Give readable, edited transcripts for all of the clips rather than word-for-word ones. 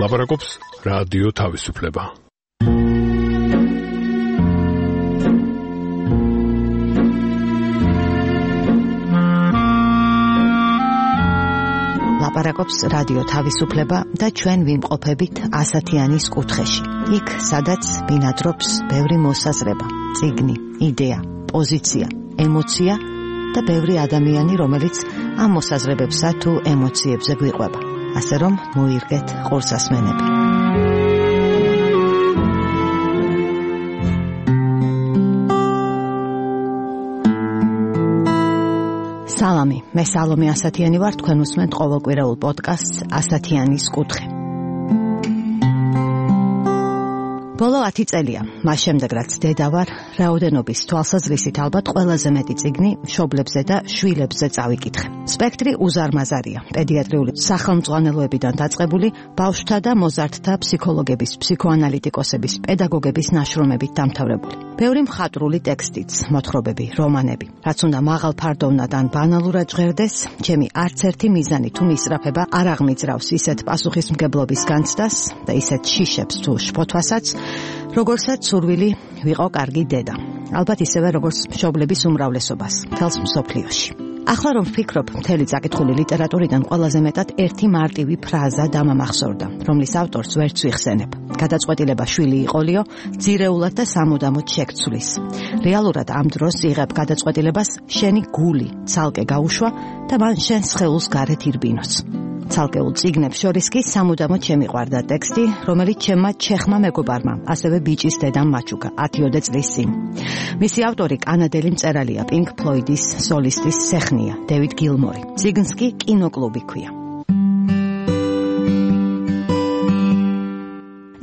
ლაპარაკობს რადიო თავისუფლება. ლაპარაკობს რადიო თავისუფლება და ჩვენ ვიმყოფებით ასათიანის კუთხეში. იქ, სადაც ბინადრობს ბევრი მოსაზრება, წიგნი, იდეა, პოზიცია, ემოცია და ბევრი ადამიანი, რომელიც ამ მოსაზრებებსა თუ ემოციებზე გვიყვება. ასე რომ მოირგეთ ყურსასმენები. სალამი, მე სალომე ასათიანი ვარ, თქვენ უსმენთ ყოველკვირეულ პოდკასტს ასათიანის კუთხე. ბოლო 10 წელია, მას შემდეგ რაც დედა ვარ, რაოდენობის თვალსაზრისით ალბათ ყველაზე მეტი წიგნი მშობლებზე და შვილებზე წავიკითხე. სპექტრი უზარმაზარია, პედიატრიული სახელმძღვანელოებიდან დაწყებული, ბავშვთა და მოზარდთა ფსიქოლოგების, ფსიქოანალიტიკოსების, პედაგოგების ნაშრომებით დამთავრებული. ბევრი მხატვრული ტექსტიც, მოთხრობები, რომანები. რაც უნდა მაღალ ფარდოვნად ან ბანალურად ჟღერდეს, ჩემი არც ერთი მიზანი თუ მისწრაფება არ აღმიძრავს ისეთ პასუხისმგებლობის განცდას და ისეთ შიშებს თუ შფოთვასაც, როგორცაც სურვილი ვიყო კარგი დედა. ალბათ ისევე როგორც მშობლების უმრავლესობას მთელს მსოფლიოში. ახლა რომ ვფიქრობ, მთელი წაკითხული ლიტერატურიდან ყველაზე მეტად ერთი მარტივი ფრაზა დამამახსოვრდა, რომლის ავტორს ვერც ვიხსენებ. გადაწყვეტილება შვილი იყოლიო, ძირეულად და სამუდამოდ შეგცვლის. რეალურად ამ დროს იღებ გადაწყვეტილებას შენი გული ცალკე გაუშვა და მან შენ სხეულს გარეთ ირბინოს. ცალკეულ წიგნებს შორის კი სამუდამოდ შემიყვარდა ტექსტი, რომელიც ჩემმა ჩეხმა მეგობარმა, ასევე ბიჭის დედამ მაჩუკა 10 წლის წინ. მისი ავტორი კანადელი მწერალია, პინკ ფლოიდის სოლისტის სეხნია, დევიდ გილმორი. წიგნს კი კინოკლუბი ქვია.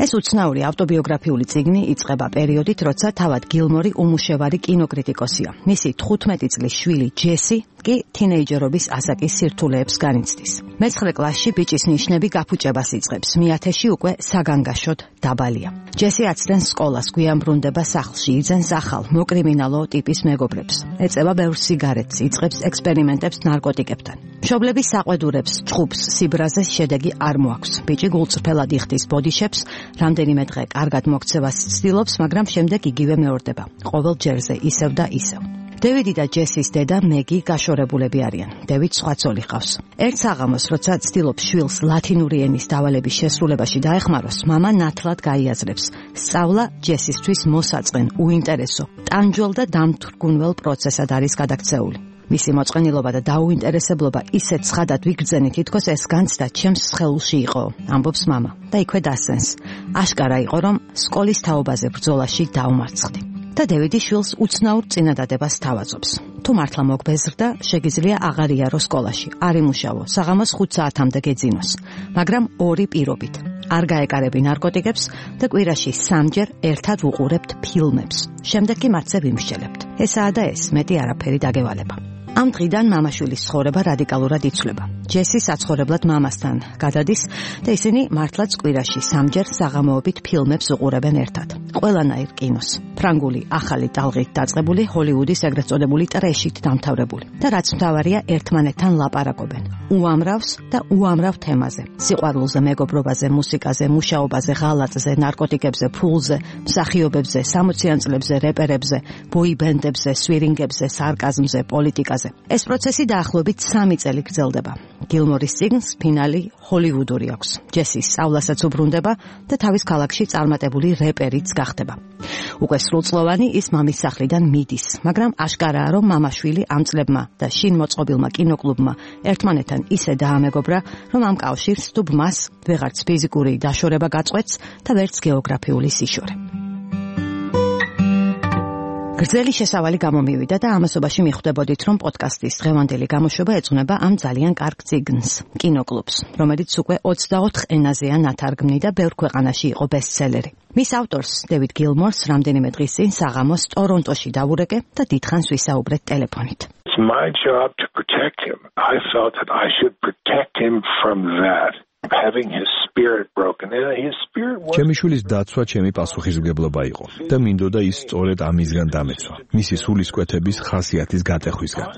ეს უცნაური ავტობიოგრაფიული წიგნი იწყება პერიოდით, როცა თავად გილმორი უმუშევარი კინოკრიტიკოსია. მისი 15 წლის შვილი ჯესი კი თინეიჯერობის ასაკის სირთულეებს განიცდის. მე-9 კლასში ბიჭის ნიშნები გაფუჭებას იწყებს. მე-10-ში უკვე საგანგაშოდ დაბალია. ჯესი აცდენს სკოლას, გვიანბრუნდება სახლში, იძენს ახალ, მოკრიმინალო ტიპის მეგობრებს. ეწევა ბევრ სიგარეტს, იწყებს ექსპერიმენტებს ნარკოტიკებთან. მშობლების საყვედურებს, ჭუბს, სიბრაზეს შედეგი არ მოაქვს. ბიჭი გულწრფელად იხდის ბოდიშეპს, რამდენიმე დღე კარგად მოქცევას ცდილობს, მაგრამ შემდეგ იგივე მეორდება. ყოველ ჯერზე ისევ და ისევ. დევიდი და ჯესის დედა მეგი გაშორებულები არიან. დევიდ სხვა ცოლი ყავს. ერთ საღამოს, როცა ცდილობს შვილს ლათინური ენის დავალების შესრულებაში დაეხმაროს, მამა ნათლად გაიაზრებს. სწავლა ჯესისთვის მოსაწყენ, უინტერესო, ტანჯველ და დამთრგუნველ პროცესად არის გადაქცეული. მისი მოწყენილობა და დაუინტერესებლობა ისეთ ცხადად ვიგრძენით, თითქოს ეს განცდა ჩემს სხეულში იყო, ამბობს მამა. და იქვე დასცენს. აშკარა იყო, რომ სკოლის თაობაზე ბრძოლაში დაუმარცხდი. და დევიდი შვილს უცნაურ წინადადებას თავაზობს. თუ მართლა მოგბეზრდა, შეგიძლია აღარ იარო სკოლაში, არ იმუშავო, საღამოს 5 საათამდე გეძინოს, მაგრამ ორი პირობით. არ გაეკარები ნარკოტიკებს და კვირაში 3-ჯერ ერთად ვუყურებთ ფილმებს. შემდეგ კი მათზე ვიმსჯელებთ. ესაა და ეს, მეტი არაფერი დაგევალება. ამ დღიდან მამაშვილის ცხოვრება რადიკალურად იცვლება. ჯესი საცხოვრებლად მამასთან გადადის და ისინი მართლაც კვირაში 3-ჯერ საღამოობით ფილმებს უყურებენ ერთად. ყველანაირ კინოს. ფრანგული ახალი ტალღით დაწყებული, ჰოლივუდის ეგრეთ წოდებული ტრეშით დამთავრებული. და რაც მთავარია, ერთმანეთთან ლაპარაკობენ. უამრავს და უამრავ თემაზე. სიყვარულზე, მეგობრობაზე, მუსიკაზე, მუშაობაზე, ღალატზე, ნარკოტიკებზე, ფულზე, მსახიობებზე, 60-იან წლებზე, რეპერებზე, ბოიბენდებზე, სვირინგებზე, სარკაზმზე, პოლიტიკაზე. ეს პროცესი დაახლოებით 3 წელი გრძელდება. გილმორის წიგნს ფინალი ჰოლივუდური აქვს. ჯესის სწავლასაც უბრუნდება და თავის ქალაქში წარმატებული რეპერიც გახდება. უკვე სრულწლოვანი ის მამის სახლიდან მიდის, მაგრამ აშკარაა, რომ მამაშვილი ამ წლებმა და შინ მოწყობილმა კინოკლუბმა ერთმანეთთან ისე დაამეგობრა, რომ ამ კავშირს თუ ბმას ვეღარც ფიზიკური დაშორება გაწყვეტს და ვერც გეოგრაფიული სიშორე. გრძელი შესავალი გამომივიდა და ამასობაში მიხვდებოდით, რომ პოდკასტის დღევანდელი გამოშვება ეძღვნება ამ ძალიან კარგ წიგნს, კინოკლუბს, რომელიც უკვე 24 ენაზეა ნათარგმნი და ბევრ ქვეყანაში იყო ბესტსელერი. მის ავტორს, დევიდ გილმორს, რამდენიმე დღის წინ საღამოს ტორონტოში დავურეკე და დიდხანს ვისაუბრეთ ტელეფონით. It's my job to protect him. I felt that I should protect him from that. having his spirit broken. And his spirit was ჩემი შვილის დაცვა ჩემი პასუხისმგებლობა იყო და მინდოდა ის სწორედ ამისგან დამეცვა, მისი სულისკვეთების ხასიათის გატეხვისგან.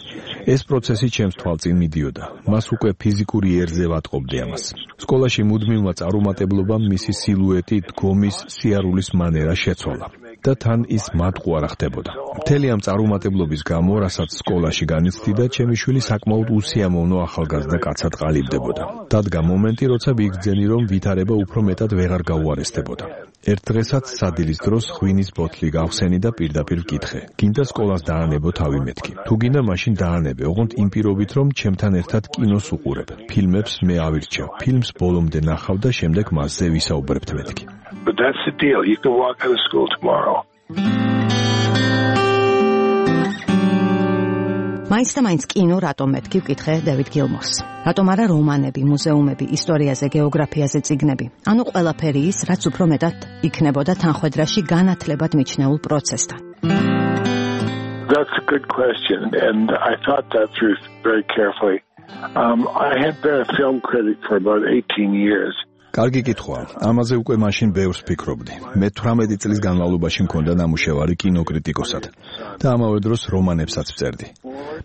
ეს პროცესი ჩემს თვალწინ მიდიოდა. მას უკვე ფიზიკური იერზე ვატყობდი ამას. სკოლაში მუდმივმა წარუმატებლობამ მისი სილუეტი, დგომის, სიარულის მანერა შეცვალა. და თან ის მატყუ არ ხდებოდა. მთელი ამ წარუმატებლობის გამო, რასაც სკოლაში განიცდიდა, ჩემი შვილი საკმაოდ უსიამოვნო ახალგაზრდა კაცად ყალიბდებოდა. დადგა მომენტი, როცა ვიგრძენი, რომ ვითარება უფრო მეტად ვეღარ გაუარესდებოდა. ერთ დღესაც სადილის დროს ღვინის ბოთლი გავხსენი და პირდაპირ ვკითხე: გინდა სკოლას დაანებო თავი მეთქი? თუ გინდა, მაშინ დაანებე, ოღონდ იმ პირობით, რომ ჩემთან ერთად კინოს უყურებ. ფილმებს მე ავირჩევ. ფილმს ბოლომდე ნახავ და შემდეგ მასზე ვისაუბრებთ მეთქი. But that's the deal. You can walk out of school tomorrow. მაინც კინო რატომ მეთქი ვკითხე დევიდ გილმორს. რატომ არა რომანები, მუზეუმები, ისტორიაზე, გეოგრაფიაზე წიგნები? ანუ ყველაფერი ის, რაც უფრო მეტად იქნებოდა თანხვედრაში განათლებად მიჩნეულ პროცესთან. That's a good question, and I thought that through very carefully. I had been a film critic for about 18 years. კარგი კითხვა. ამაზე უკვე მაშინ ბევრს ფიქრობდი. მე 18 წლის განმავლობაში მქონდა ნამუშევარი კინოკრიტიკოსად და ამავე დროს რომანებსაც ვწერდი.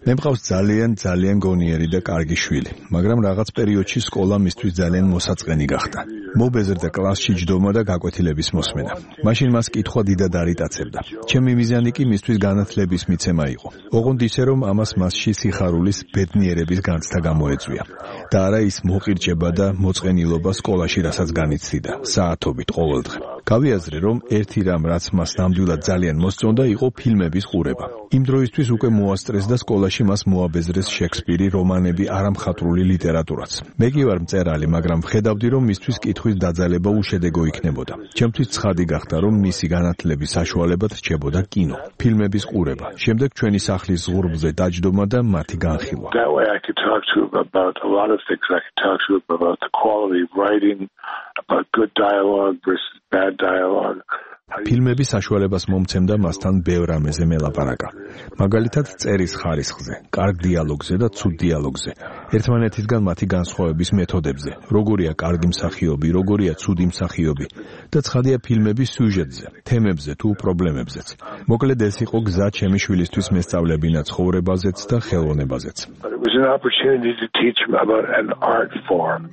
მე მყავს ძალიან გონიერი და კარგი შვილი, მაგრამ რაღაც პერიოდში სკოლა მისთვის ძალიან მოსაწყენი გახდა. მობეზრდა კლასში ჯდომა და გაკვეთილების მოსმენა. მაშინ მას კითხვა დიდად არიტაცებდა. ჩემი მიზანი კი მისთვის განათლების მიცემა იყო. ოღონდ ისე რომ ამას მასში სიხარულის ბედნიერების განცდა გამოეწვია და არა ის მოყირჭება და მოწყენილობა სკოლაში რასაც განიცდიდა საათობით ყოველდღე. გავიაზრე, რომ ერთი რამ, რაც მას ნამდვილად ძალიან მოსწონდა, იყო ფილმების ყურება. იმ დროისთვის უკვე მოასწრეს და სკოლაში მას მოაბეზრეს შექსპირი, რომანები, არამხატვრული ლიტერატურაც. მე კი ვარ მწერალი, მაგრამ ვხედავდი, რომ მისთვის კითხვის დაძალება უშედეგო იქნებოდა. ჩემთვის ცხადი გახდა, რომ მისი განათლების საშუალებად რჩებოდა კინო, ფილმების ყურება, შემდეგ ჩვენი სახლის ზღურბლზე დაჯდომა და მათი განხილვა. That way I could talk to him about a lot of things. I could talk to him about the quality of writing, about good dialogue versus bad dialogue. ფილმები საშუალებას მომცემდა მასთან ბევრ რამეზე მელაპარაკა. მაგალითად, წერის ხარისხზე, კარგ დიალოგზე და ცუდ დიალოგზე, ერთმანეთისგან მათი განსხვავების მეთოდებზე, როგორია კარგი მსახიობი, როგორია ცუდი მსახიობი და ცხადია ფილმების სიუჟეტზე, თემებზე თუ პრობლემებზეც. მოკლედ ეს იყო გზა ჩემი შვილისთვის მესწავლებინა ცხოვრებაზეც და ხელოვნებაზეც. But it was an opportunity to teach him about an art form.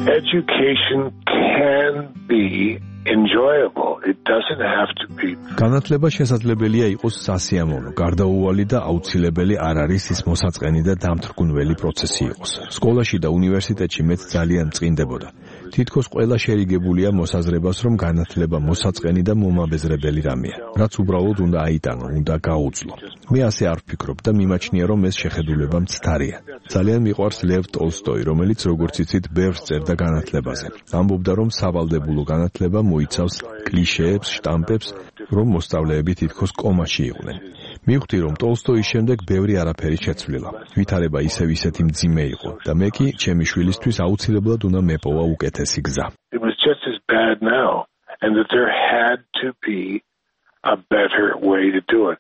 Education can be enjoyable. It doesn't have to be. განათლება შესაძლებელია იყოს სასიამოვნო, გარდაუვალი და აუცილებელი არ არის ის მოსაწყენი და დამთრგუნველი პროცესი იყოს. სკოლაში და უნივერსიტეტში მეც ძალიან წინდებოდა. თითქოს ყველა შერიგებულია მოსაზრებას, რომ განათლება მოსაწყენი და მომაბეზრებელი რამეა, რაც უბრალოდ უნდა აიტანო, უნდა გაუძლო. მე ასე არ ვფიქრობ და მიმაჩნია, რომ ეს შეხედულება მცდარია. ძალიან მიყვარს ლევ ტოლსტოი, რომელიც როგორც იცით, ბევრს წერდა განათლებაზე. ამბობდა, რომ სავალდებულო განათლება მოიცავს კლიშეებს, შტამპებს, რომ მოსწავლეები თითქოს კომაში იყვნენ. მივხვდი, რომ ტოლსტოის შემდეგ ბევრი არაფერი შეცვლილა. ვითარება ისევ ისეთი მძიმე იყო და მე კი ჩემი შვილისთვის აუცილებლად უნდა მეპოვა უკეთესი გზა. It was just as bad now, and that there had to be a better way to do it.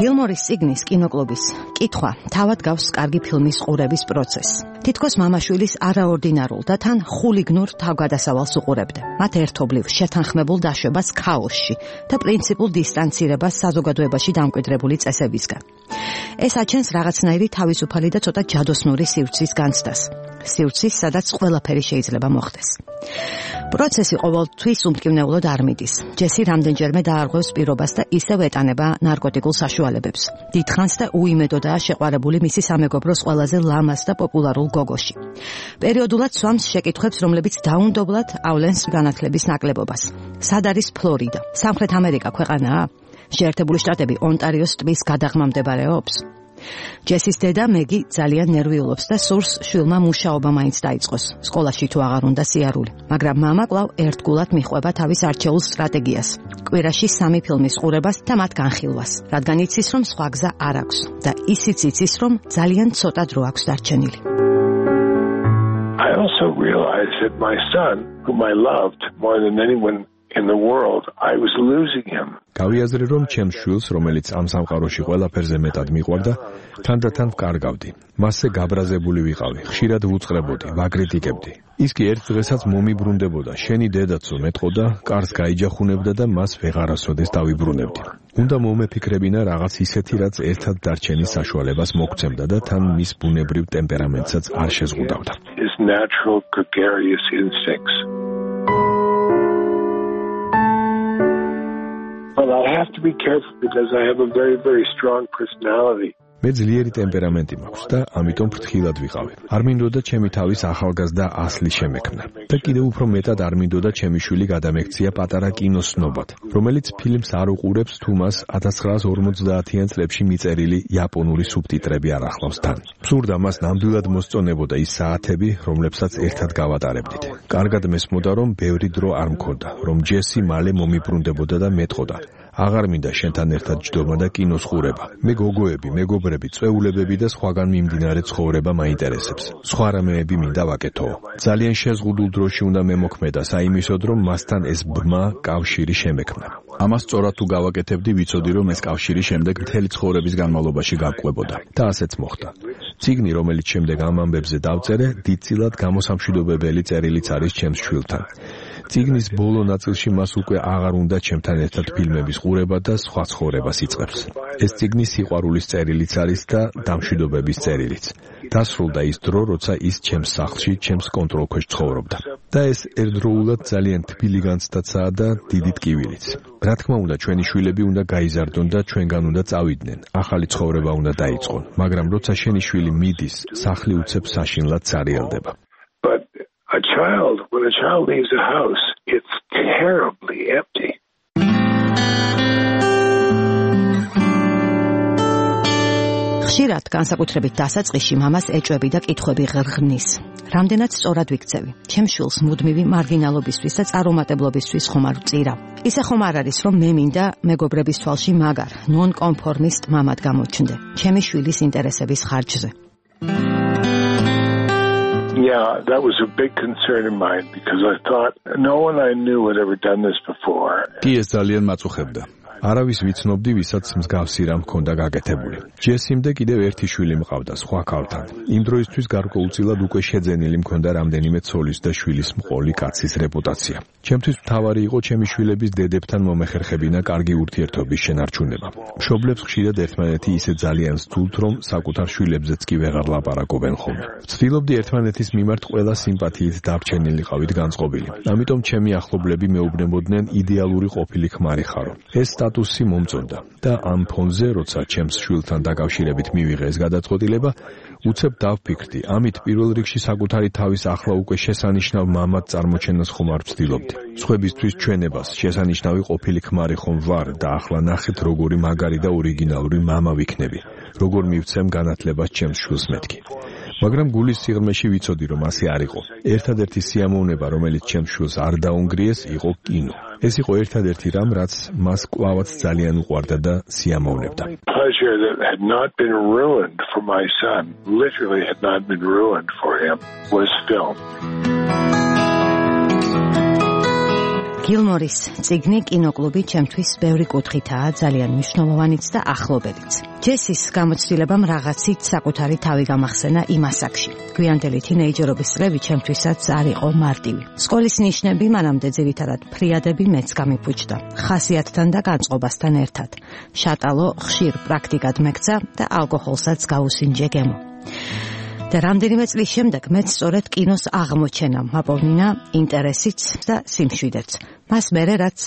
გილმორის წიგნის კინოკლუბის კითხვა თავად გავს კარგი ფილმის ყურების პროცესს. თითქოს მამაშვილის არაორდინარულ და თან ხულიგნურ თავგადასავალს უყურებდა. მათ ერთობლივ შეთანხმებულ დაშვებას ქაოსში და პრინციპულ დისტანცირებას საზოგადოებაში დამკვიდრებული წესებისგან. ეს აჩენს რაღაცნაირი თავისუფალი და ცოტა ჯადოსნური სივრცის განცდას. სივრცის, სადაც ყველაფერი შეიძლება მოხდეს. პროცესი ყოველთვის უმტკივნეულოდ არ მიდის. ჯესი რამდენჯერმე დაარღვევს პირობას და ისევ ეტანება ნარკოტიკულ საშუალებებს. დიდხანს და უიმედოდაა შეყვარებული მისი სამეგობროს ყველაზე ლამაზ და პოპულარულ გოგოში. პერიოდულად სვამს შეკითხვებს, რომლებიც დაუნდობლად ავლენს განათლების ნაკლებობას. სად არის ფლორიდა? სამხრეთ ამერიკა ქვეყანაა? შეერთებული შტატები ონტარიოს ტბის გადაღმა მდებარეობს? ჯესის დედა მეგი ძალიან ნერვიულობს და სურს შვილმა მუშაობა მაინც დაიწყოს. სკოლაში თუ აღარ უნდა სიარული, მაგრამ მამა კვლავ ერთგულად მიხვება თავის არჩეულ სტრატეგიას. კვირაში 3 ფილმის ყურებას და მათ განხილვას, რადგან იცის, რომ სხვა გზა არ აქვს და ისიც იცის, რომ ძალიან ცოტა დრო აქვს დარჩენილი. I also realized that my son, whom I loved more than anyone in the world, I was losing him. გავიაზრე რომ ჩემს შვილს, რომელიც ამ სამყაროში ყველაფერზე მეტად მიყვარდა, თანდათან ვკარგავდი. მასზე გაბრაზებული ვიყავი, ხშირად ვუწყრებოდი, ვაკრიტიკებდი. ის კი ერთ დღესაც მომიბრუნდებოდა, შენი დედაცო მეტყოდა, კარს გაიჯახუნებდა და მას ვეღარასოდეს დავიბრუნებდი. უნდა მომეფიქრებინა რაღაც ისეთი, რაც ერთად დარჩენის საშუალებას მოგცემდა და თან მის ბუნებრივ ტემპერამენტსაც არ შეზღუდავდა. His natural gregarious instincts. But I have to be careful because I have a very, very strong personality. მე ძლიერი ტემპერამენტი მაქვს და ამიტომ ფრთხილად ვიყავი. არ მინდოდა ჩემი თავის ახალგაზრდა ასლი შემექმნა. და კიდევ უფრო მეტად არ მინდოდა ჩემი შვილი გადამექცია პატარა კინოსნობად, რომელიც ფილმს არ უყურებს თუ მას 1950-იან წლებში მიწერილი იაპონური სუბტიტრები არ ახლავს თან. მსურდა მას ნამდვილად მოსწონებოდა ის საათები, რომლებსაც ერთად გავატარებდით. კარგად მესმოდა, რომ ბევრი დრო არ მქონდა, რომ ჯესი მალე მომიბრუნდებოდა და მეტყოდა. აღარ მინდა შენთან ერთად ჯდომა და კინოს ხურება. მე გოგოები, მეგობრები, წვეულებები და სხვაგან მიმდინარე ცხოვრება მაინტერესებს. სხვა რამეები მინდა ვაკეთო. ძალიან შეზღუდულ დროში უნდა მემოქმედა საიმისოდ, რომ მასთან ეს ბმა კავშირი შემექმნა. ამას სწორად თუ გავაკეთებდი, ვიცოდი, რომ ეს კავშირი შემდეგ მთელი ცხოვრების განმავლობაში გაგვყვებოდა. და ასეც მოხდა. წიგნი, რომელიც შემდეგ ამ ამბებზე დავწერე, დიდწილად გამოსამშვიდობებელი წერილიც არის ჩემს შვილთან. წიგნის ბოლო ნაწილში მას უკვე აღარ უნდა ჩემთან ერთად ფილმების ყურება და სხვა ცხოვრებას იწყებს. ეს წიგნი სიყვარულის წერილიც არის და დამშვიდობების წერილიც. დასრულდა ის დრო, როცა ის ჩემს სახლში, ჩემს კონტროლქვეშ ცხოვრობდა. და ეს ერთდროულად ძალიან თბილი განცდაცაა და დიდი ტკივილიც. რა თქმა უნდა, ჩვენი შვილები უნდა გაიზარდონ და ჩვენგან უნდა წავიდნენ. ახალი ცხოვრება უნდა დაიწყონ, მაგრამ როცა შენი შვილი მიდის, სახლი უცებ საშინლად ცარიელდება. When a child leaves a house, it's terribly empty. ხშირად განსაკუთრებით დასაწყისში მამას ეჭვები და კითხვები ღრღნის. რამდენად სწორად ვიქცევი? ჩემ შვილს მუდმივი მარგინალობისთვის და წარუმატებლობისთვის ხომ არ ვწირავ. ისე ხომ არ არის, რომ მე მინდა მეგობრების თვალში მაგარ, ნონ-კონფორმისტ მამად გამოჩნდე, ჩემი შვილის ინტერესების ხარჯზე. Yeah, that was a big concern of mine because I thought no one I knew had ever done this before. კი ეს ძალიან მაწუხებდა. არავის ვიცნობდი, ვისაც მსგავსი რამ ჰქონდა გაკეთებული. ჯესიმ და კიდევ ერთი შვილი მყავდა სხვა ქალთან. იმ დროისთვის გარკვეულწილად უკვე შეძენილი მქონდა რამდენიმე ცოლის და შვილის მყოლი კაცის რეპუტაცია. ჩემთვის მთავარი იყო ჩემი შვილების დედებთან მომეხერხებინა კარგი ურთიერთობის შენარჩუნება. მშობლებს ხშირად ერთმანეთი ისე ძალიან სთულთ, რომ საკუთარ შვილებზეც კი ვეღარ ლაპარაკობენ ხოლმე. ვცდილობდი ერთმანეთის მიმართ ყველა სიმპათიით დარჩენილიყავით განწყობილი. ამიტომ ჩემი ახლობლები მეუბნებოდნენ იდეალური ყოფილი ქმარი ხარო. ეს სტატუსი მომწონდა და ამ ფონზე, როცა ჩემს შვილთან დაკავშირებით მივიღე ეს გადაწყვეტილება, უცებ დავფიქრდი, ამით პირველ რიგში საკუთარი თავის ახლა უკვე შესანიშნავ მამად წარმოჩენას ხომ არ ვცდილობდი. სხვებისთვის ჩვენებას შესანიშნავი ყოფილი ქმარი ხომ ვარ და ახლა ნახეთ როგორი მაგარი და ორიგინალური მამა ვიქნები, როგორ მივცემ განათლებას ჩემს შვილს მეთქი. მაგრამ გულის სიღრმეში ვიცოდი, რომ ასე არ იყო. ერთადერთი სიამოვნება, რომელიც ჩემს შვილს არ დაუნგრიეს, იყო კინო. ეს იყო ერთადერთი რამ, რაც მას კვლავაც ძალიან უყვარდა და სიამოვნებდა. Pleasure that had not been ruined for my son, literally had not been ruined for him, was film. გილმორის წიგნი კინოკლუბი ჩემთვის ბევრი კუთხითაა ძალიან მნიშვნელოვანიც და ახლობელიც. ჯესის გამოცდილებამ რაღაცით საკუთარი თავი გამახსენა იმ ასაკში. გვიანდელი თინეიჯერობის წლები ჩემთვისაც არ იყო მარტივი. სკოლის ნიშნები მანამდე ძირითადად ფრიადები მეც გამიფუჭდა. ხასიათთან და განწყობასთან ერთად. შატალო ხშირ პრაქტიკად მეკცა და ალკოჰოლსაც გაუსინჯე გემო. და რამდენიმე წლის შემდეგ მეც სწორედ კინოს აღმოჩენა მაპოვნინა ინტერესიც და სიმშვიდეც. მას მერე რაც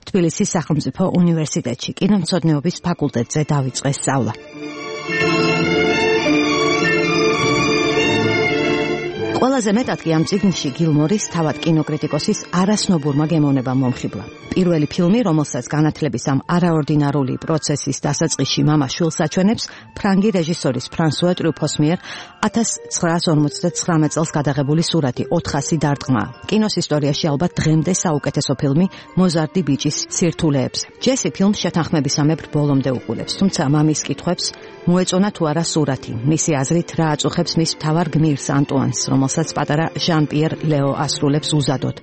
თბილისის სახელმწიფო უნივერსიტეტში კინომცოდნეობის ფაკულტეტზე დავიწყე სწავლა. ყველაზე მეტად კი ამ წიგნში გილმორის თავად კინოკრიტიკოსის არასნობურმა გემოვნებამ მომხიბლა. პირველი ფილმი, რომელსაც განათლების ამ არაორდინარული პროცესის დასაწყისში მამა შვილს აჩვენებს, ფრანგი რეჟისორის ფრანსუა ტრუფოს მიერ 1959 წელს გადაღებული სურათი 400 დარტყმა. კინოს ისტორიაში ალბათ დღემდე საუკეთესო ფილმი მოზარდი ბიჭის სირთულეებზე. ჯესი ფილმს შეთანხმებისამებრ ბოლომდე უყურებს, თუმცა მამის კითხვებს მოეწონა თუ არა სურათი. მისი აზრით რა აწუხებს მის მთავარ გმირს ანტუანს, რომელსაც პატარა ჟან-პიერ ლეო ასრულებს უზადოდ.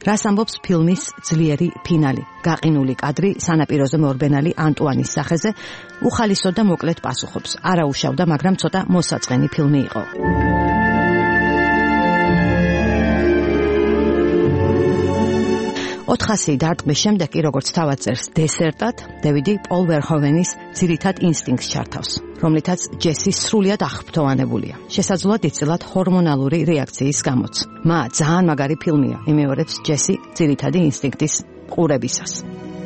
რას ამბობს ფილმის ძლიერი ფინალი? გაყინული კადრი სანაპიროზე მორბენალი ანტუანის სახეზე უხალისოდ და მოკლედ პასუხობს. არა უშავდა, მაგრამ ცოტა მოსაწყენი ფილმი იყო. ოთხასი დარტყმის შემდეგ კი როგორც თავად წერს დესერტად, დევიდი პოლ ვერჰოვენის ძირითად ინსტინქტს ჩართავს, რომლითაც ჯესი სრულიად აღფრთოვანებულია. შესაძლოა დიდწილად ჰორმონალური რეაქციის გამოც. ძალიან მაგარი ფილმია, იმეორებს ჯესი ძირითადი ინსტინქტის ყურებისას.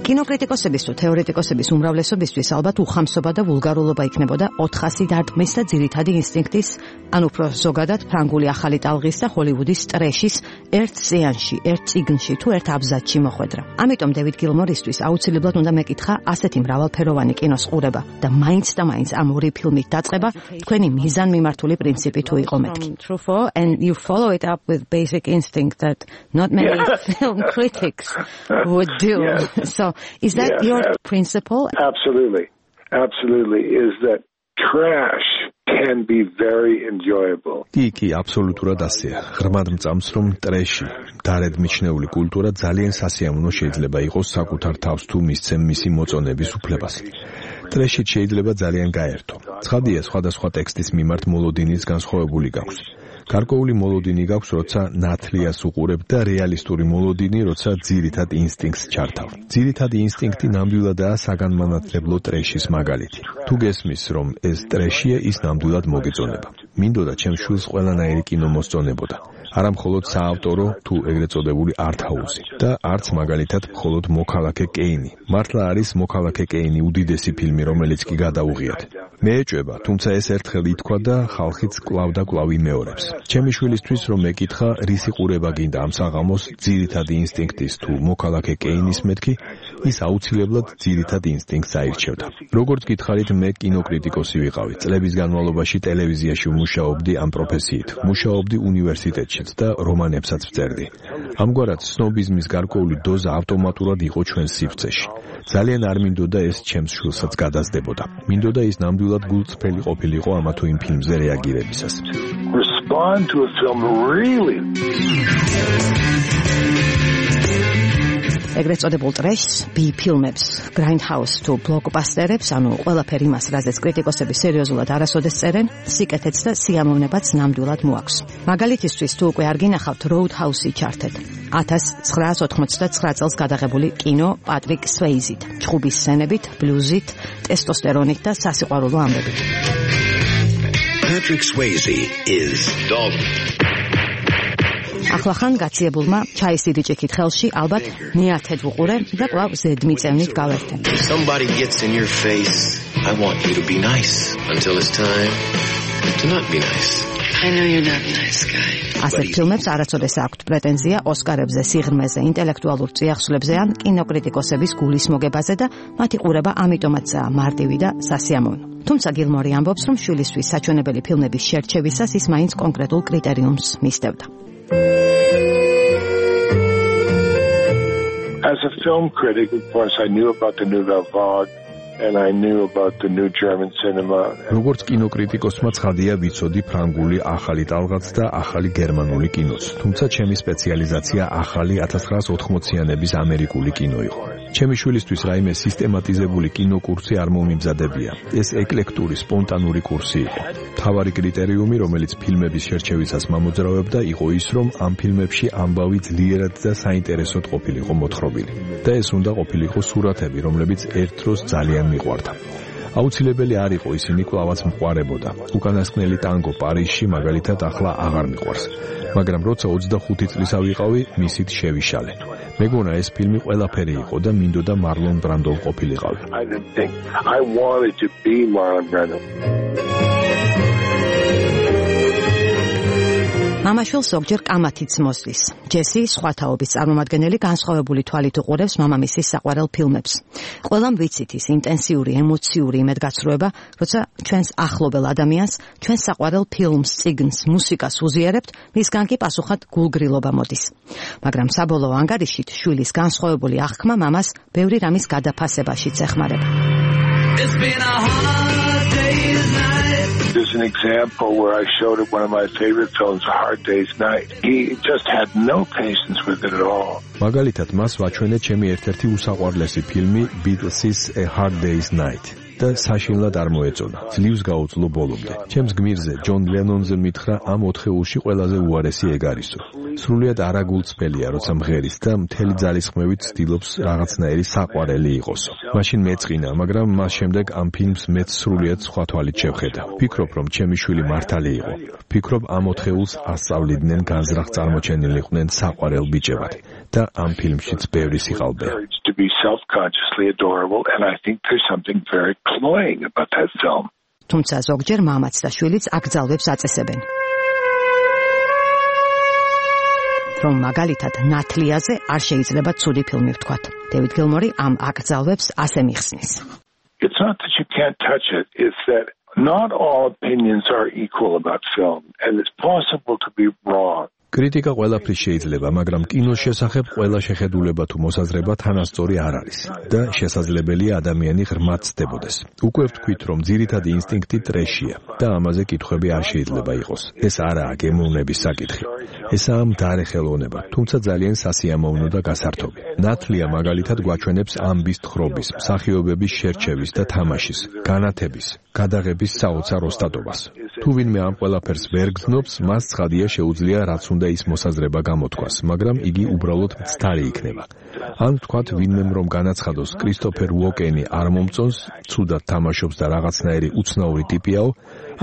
კინოკრიტიკოსების თუ თეორეტიკოსების უმრავლესობისთვის ალბათ უხამსობა და ვულგარულობა იქნებოდა 400 დარტყმის და ძირითადი ინსტინქტის, ან უფრო ზოგადად ფრანგული ახალი ტალღის და ჰოლივუდის ტრეშის ერთ სეანსში, ერთ წიგნში თუ ერთ აბზაცში მოხვედრა. ამიტომ დევიდ გილმორისთვის აუცილებლად უნდა მეკითხა ასეთი მრავალფეროვანი კინოს ყურება და მაინც და მაინც ამ ორი ფილმით დაწყება თქვენი მიზანმიმართული პრინციპი თუ იყო მეთქი. And you follow it up with basic instinct that not many film critics would do. So is that your principle? Absolutely. Is that trash can be very enjoyable. კი, აბსოლუტურად ასეა. ღრმად მწამს, რომ ტრეში, დარედ მიჩნეული კულტურა ძალიან სასიამოვნო შეიძლება იყოს საკუთარ თავს თუ მისცემ მისი მოწონების უფლებას. ტრეშით შეიძლება ძალიან გაერთო. ცხადია, სხვადასხვა ტექსტის მიმართ მოლოდინის განსხვავებული გაქვს. გარკვეული მოლოდინი გაქვს, როცა ნათლიას უყურებ და რეალისტური მოლოდინი, როცა ძირითად ინსტინქტს ჩართავ. ძირითადი ინსტინქტი ნამდვილადაა საგანმანათლებლო ტრეშის მაგალითი. თუ გესმის, რომ ეს ტრეშია, ის ნამდვილად მოგეწონება. მინდოდა ჩემს შვილს ყველანაირი კინო მოსწონებოდა. არა მხოლოდ საავტორო თუ ეგრეთ წოდებული არტჰაუსი და არც მაგალითად მხოლოდ მოქალაქე კეინი. მართლა არის მოქალაქე კეინი უდიდესი ფილმი, რომელიც კი გადაუღიათ. მე ეჭვება, თუმცა ეს ერთხელ ითქვა და ხალხიც კვლავ და კვლავ იმეორებს. ჩემი შვილისთვის რომ მეკითხა, რის იყურება გინდა ამ საღამოს ძირითადი ინსტინქტის თუ მოქალაქე კეინის მეთქი, ის აუცილებლად ძირითად ინსტინქტს აირჩევდა. როგორც გითხარით, მე კინოკრიტიკოსი ვიყავი. წლების განმავლობაში ტელევიზიაში ვმუშაობდი ამ პროფესიით. მუშაობდი უნივერსიტეტშიც და რომანებსაც ვწერდი. ამგვარად, სნობიზმის გარკვეული დოზა ავტომატურად იყო ჩვენ სივრცეში. ძალიან არ მინდოდა ეს ჩემს შვილსაც გადასდებოდა. მინდოდა ის ნამდვილად გულწრფელი ყოფილიყო ამა თუ იმ ფილმზე რეაგირებისას. Respond to a film really. ეგრეთ წოდებულ ტრეშს, B-ფილმებს, Grindhouse თუ ბლოკბასტერებს, ანუ ყველაფერი მას, რაზეც კრიტიკოსები სერიოზულად არასოდეს წერენ, სიკეთეც და სიამოვნებაც ნამდვილად მოაქვს. მაგალითისთვის თუ უკვე არ გინახავთ Roadhouse-ი ჩართეთ. 1989 წელს გადაღებული კინო პატრიკ სვეიზით, ჩხუბის სცენებით, ბლუზით, ტესტოსტერონით და სასიყვარულო ამბებით. Patrick Swayze is dog. ახლახან გაციებულმა ჩაისიდი ჭიქით ხელში, ალბათ მეათედ ვუყურე და კვლავ ზედმიწევნით გავერთე. Somebody gets in your face. I want you to be nice until it's time to not be nice. I know you're not a nice guy. ასეთ ფილმებს არასოდეს აქვთ პრეტენზია ოსკარებზე, სიღრმეზე, ინტელექტუალურ წიაღსვლებზე ან კინოკრიტიკოსების გულის მოგებაზე და მათი ყურება ამიტომაცაა მარტივი და სასიამოვნო. თუმცა გილმორი ამბობს, რომ შვილისთვის საჩვენებელი ფილმების შერჩევისას ის მაინც კონკრეტულ კრიტერიუმს მისდევდა. As a film critic, of course, I knew about the Nouvelle Vague and I knew about the new German cinema. როგორც კინოკრიტიკოსმა ცხადია ვიცოდი ფრანგული ახალი ტალღაც და ახალი გერმანული კინოც. თუმცა ჩემი სპეციალიზაცია ახალი 1980-იანების ამერიკული კინო იყო. ჩემი შვილისთვის რაიმე სისტემატიზებული კინოკურსი არ მომიმზადებია. ეს ეკლექტური, სპონტანური კურსი იყო. მთავარი კრიტერიუმი, რომელიც ფილმების შერჩევისას მამოძრავებდა, იყო ის, რომ ამ ფილმებში ამბავი ძლიერად და საინტერესოდ ყოფილიყო მოთხრობილი. და ეს უნდა ყოფილიყო სურათები, რომლებიც ერთ დროს ძალიან მიყვარდა. აუცილებელი არ იყო ისინი კვლავაც მყარებოდა. უკანასკნელი ტანგო პარიზში მაგალითად ახლა აღარ მიყვარს. მაგრამ როცა 25 წლისა ვიყავი, მისით შევიშალე. მეგონა ეს ფილმი ყველაფერი იყო და მინდოდა მარლონ ბრანდო ყოფილიყავი. I wanted to be Marlon Brando. მამაშვილს ზოგჯერ კამათიც მოსდის. ჯესი სხვა თაობის წარმომადგენელი განსხვავებული თვალით უყურებს მამამისის საყვარელ ფილმებს. ყველამ ვიცით ის ინტენსიური, ემოციური იმედგაცრუება, როცა ჩვენს ახლობელ ადამიანს, ჩვენს საყვარელ ფილმს, წიგნს, მუსიკას უზიარებთ, მისგან კი პასუხად გულგრილობა მოდის. მაგრამ საბოლოო ანგარიშით შვილის განსხვავებული აღქმა მამას ბევრი რამის გადაფასებაშიც ეხმარება. The Here's an example where I showed him one of my favorite films, A Hard Day's Night. He just had no patience with it at all. მაგალითად, მას ვაჩვენე ჩემი ერთ-ერთი უსაყვარლესი ფილმი Beatles-ის A Hard Day's Night. და საშინლად არ მოეწონა. ძლივს გაუძლო ბოლომდე. ჩემს გმირზე ჯონ ლენონზე მითხრა ამ 4 ხეულში ყველაზე უარესი ეგ არისო. სრულიად არაგულწრფელია, როცა მღერის და მთელი ძალისხმევით ცდილობს რაღაცნაირი საყვარელი იყოსო. მაშინ მეწყინა, მაგრამ მას შემდეგ ამ ფილმს მეც სრულიად სხვა თვალით შევხედა. ვფიქრობ, რომ ჩემი შვილი მართალი იყო. ვფიქრობ, ამ 4 ხეულს ასწავლიდნენ განზრახ წარმოჩენილიყვნენ საყვარელ ბიჭებად. და ამ ფილმშიც ბევრი სიყალბეა. To be self-consciously adorable, and I think there's something very cloying about that film. თუმცა ზოგჯერ მამაც და შვილიც აკრძალვებს აწესებენ. რომ მაგალითად ნათლიაზე არ შეიძლება ცუდი ფილმი ვთქვათ. დევიდ გილმორი ამ აკრძალვებს ასე მიხსნის. It's not that you can't touch it, it's that not all opinions are equal about film, and it's possible to be wrong. კრიტიკა ყველაფრის შეიძლება, მაგრამ კინოს შესახებ ყველა შეხედულება თუ მოსაზრება თანასწორი არ არის და შესაძლებელია ადამიანი ღრმად ცდებოდეს. უკვე ვთქვით, რომ ძირითადი ინსტინქტი ტრეშია და ამაზე კითხვები არ შეიძლება იყოს. ეს არაა გემოვნების საკითხი. ესაა მდარე ხელოვნება, თუმცა ძალიან სასიამოვნო და გასართობი. ნათლია მაგალითად გვაჩვენებს ამბის თხრობის, მსახიობების შერჩევის და თამაშის, განათების, გადაღების საოცარ ოსტატობას. თუ ვინმე ამ ყველაფერს ვერ გრძნობს, მას ცხადია შეუძლია რაც უნდა ის მოსაზრება გამოთქვას, მაგრამ იგი უბრალოდ მცდარი იქნება. ან თქვათ ვინმემ რომ განაცხადოს კრისტოფერ უოკენი არ მომწონს, ცუდად თამაშობს და რაღაცნაირი უცნაური ტიპიაო,